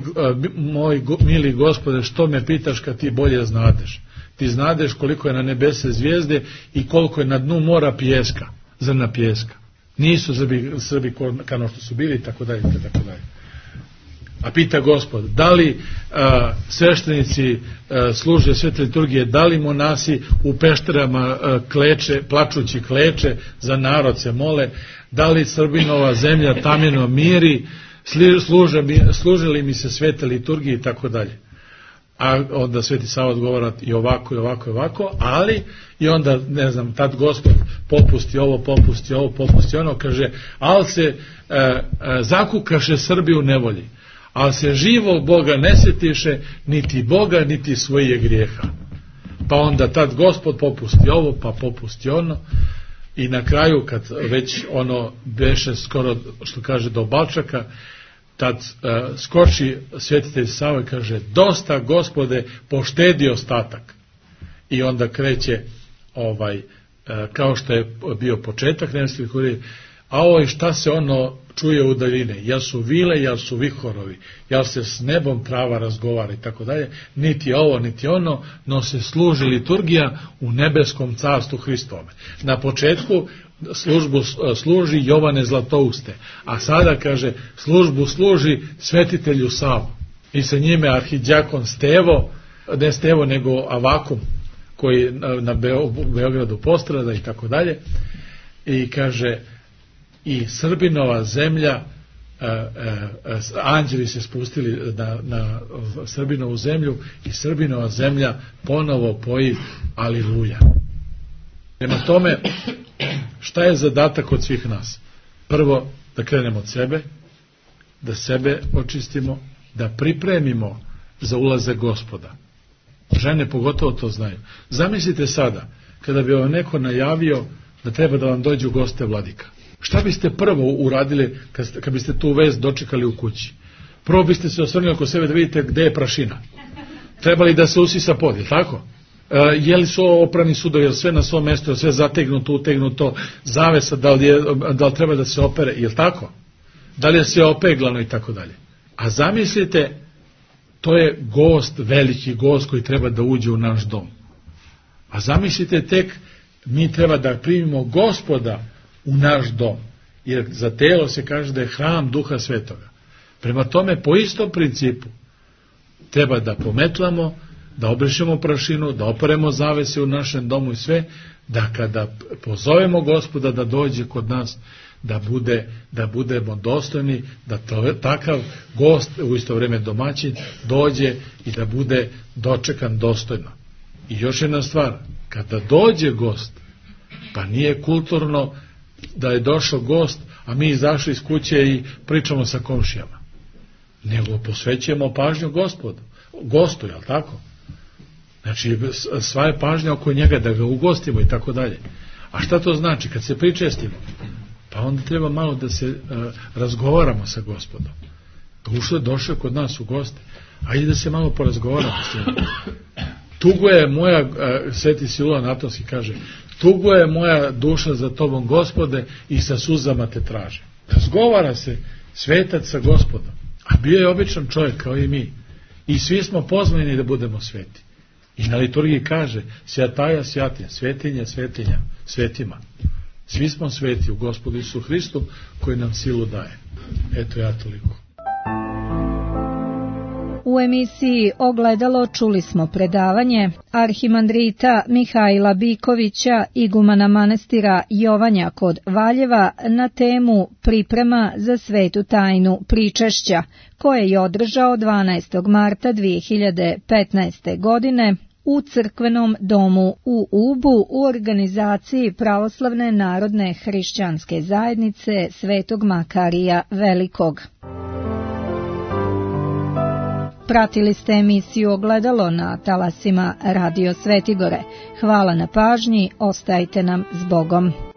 moj mili Gospode, što me pitaš kad ti bolje znadeš? Ti znadeš koliko je na nebese zvijezde i koliko je na dnu mora pijeska, zrna pijeska. Nisu Srbi, Srbi kao što su bili, tako dalje, tako dalje. A pita Gospod, da li a, sveštenici a, služe svete liturgije, da li monasi u pešterama a, kleče, plačući kleče, za narod se mole, da li Srbinova zemlja tamjeno miri, služe, služe li mi se svete liturgije i tako dalje. A onda Sveti Sava odgovara i ovako i ovako i ovako, ali i onda, ne znam, tad Gospod popusti ovo, popusti ovo, popusti ono, kaže, ali se e, e, zakukaše Srbi u nevolji, ali se živog Boga ne sjetiše, niti Boga, niti svoje grijeha. Pa onda tad Gospod popusti ovo, pa popusti ono, i na kraju, kad već ono beše skoro, što kaže, do Balčaka, tad uh, skoči svetitelj Sava i kaže, dosta Gospode, poštedi ostatak. I onda kreće ovaj, uh, kao što je bio početak nebeske liturgije, a ovo šta se ono čuje u daljine, jel su vile, jel su vihorovi, jel se s nebom trava razgovara i tako dalje, niti ovo, niti ono, no se služi liturgija u nebeskom carstvu Hristove. Na početku službu služi Jovane Zlatouste, a sada kaže službu služi svetitelju Savu i sa njime arhidjakon Stevo, ne Stevo nego Avakum koji na Beogradu postrada i tako dalje, i kaže i Srbinova zemlja, a, a, a, anđeli se spustili na, na Srbinovu zemlju i Srbinova zemlja ponovo poji aliluja. Prema tome, šta je zadatak od svih nas? Prvo, da krenemo od sebe, da sebe očistimo, da pripremimo za ulazak Gospoda. Žene pogotovo to znaju. Zamislite sada, kada bi vam neko najavio da treba da vam dođu goste vladika. Šta biste prvo uradili kad, kad biste tu vest dočekali u kući? Prvo biste se osvrnuli oko sebe da vidite gde je prašina. Trebali da se usisa pod, je tako? E, je li su oprani sudovi, je li sve na svom mjestu, je li sve zategnuto, utegnuto, zavesa, da li, je, da li treba da se opere, je li tako? Da li je sve opeglano i tako dalje. A zamislite, to je gost, veliki gost koji treba da uđe u naš dom. A zamislite tek, mi treba da primimo Gospoda u naš dom, jer za telo se kaže da je hram Duha Svetoga. Prema tome, po istom principu treba da pometlamo, da obrišemo prašinu, da operemo zavese u našem domu i sve, da kada pozovemo Gospoda da dođe kod nas, da bude da budemo dostojni, da to, takav gost, u isto vrijeme domaćin, dođe i da bude dočekan dostojno. I još jedna stvar, kada dođe gost, pa nije kulturno da je došao gost, a mi izašli iz kuće i pričamo sa komšijama, nego posvećujemo pažnju Gospodu, gostu, jel tako? Znači, sva je pažnja oko njega, da ga ugostimo i tako dalje. A šta to znači? Kad se pričestimo, pa onda treba malo da se uh, razgovaramo sa Gospodom. Ušao, došao kod nas u goste, ajde da se malo porazgovaramo s njim. Tugo je moja, uh, Sveti Siluan Atonski kaže, tugo je moja duša za tobom, Gospode, i sa suzama te traže. Razgovara se svetac sa Gospodom, a bio je običan čovjek kao i mi. I svi smo pozvani da budemo sveti. I na liturgiji kaže, svjataja svjatinja, svetinja svetinja, svetima. Svi smo sveti u Gospodu Isusu Hristu koji nam silu daje. Eto, ja toliko. U emisiji Ogledalo čuli smo predavanje arhimandrita Mihajla Bikovića, igumana manastira Jovanja kod Valjeva, na temu Priprema za svetu tajnu pričešća, koje je održao dvanaestog marta dvije hiljade petnaeste. godine u crkvenom domu u Ubu u organizaciji Pravoslavne narodne hrišćanske zajednice Svetog Makarija Velikog. Pratili ste emisiju Ogledalo na talasima Radio Svetigore. Hvala na pažnji, ostajte nam s Bogom.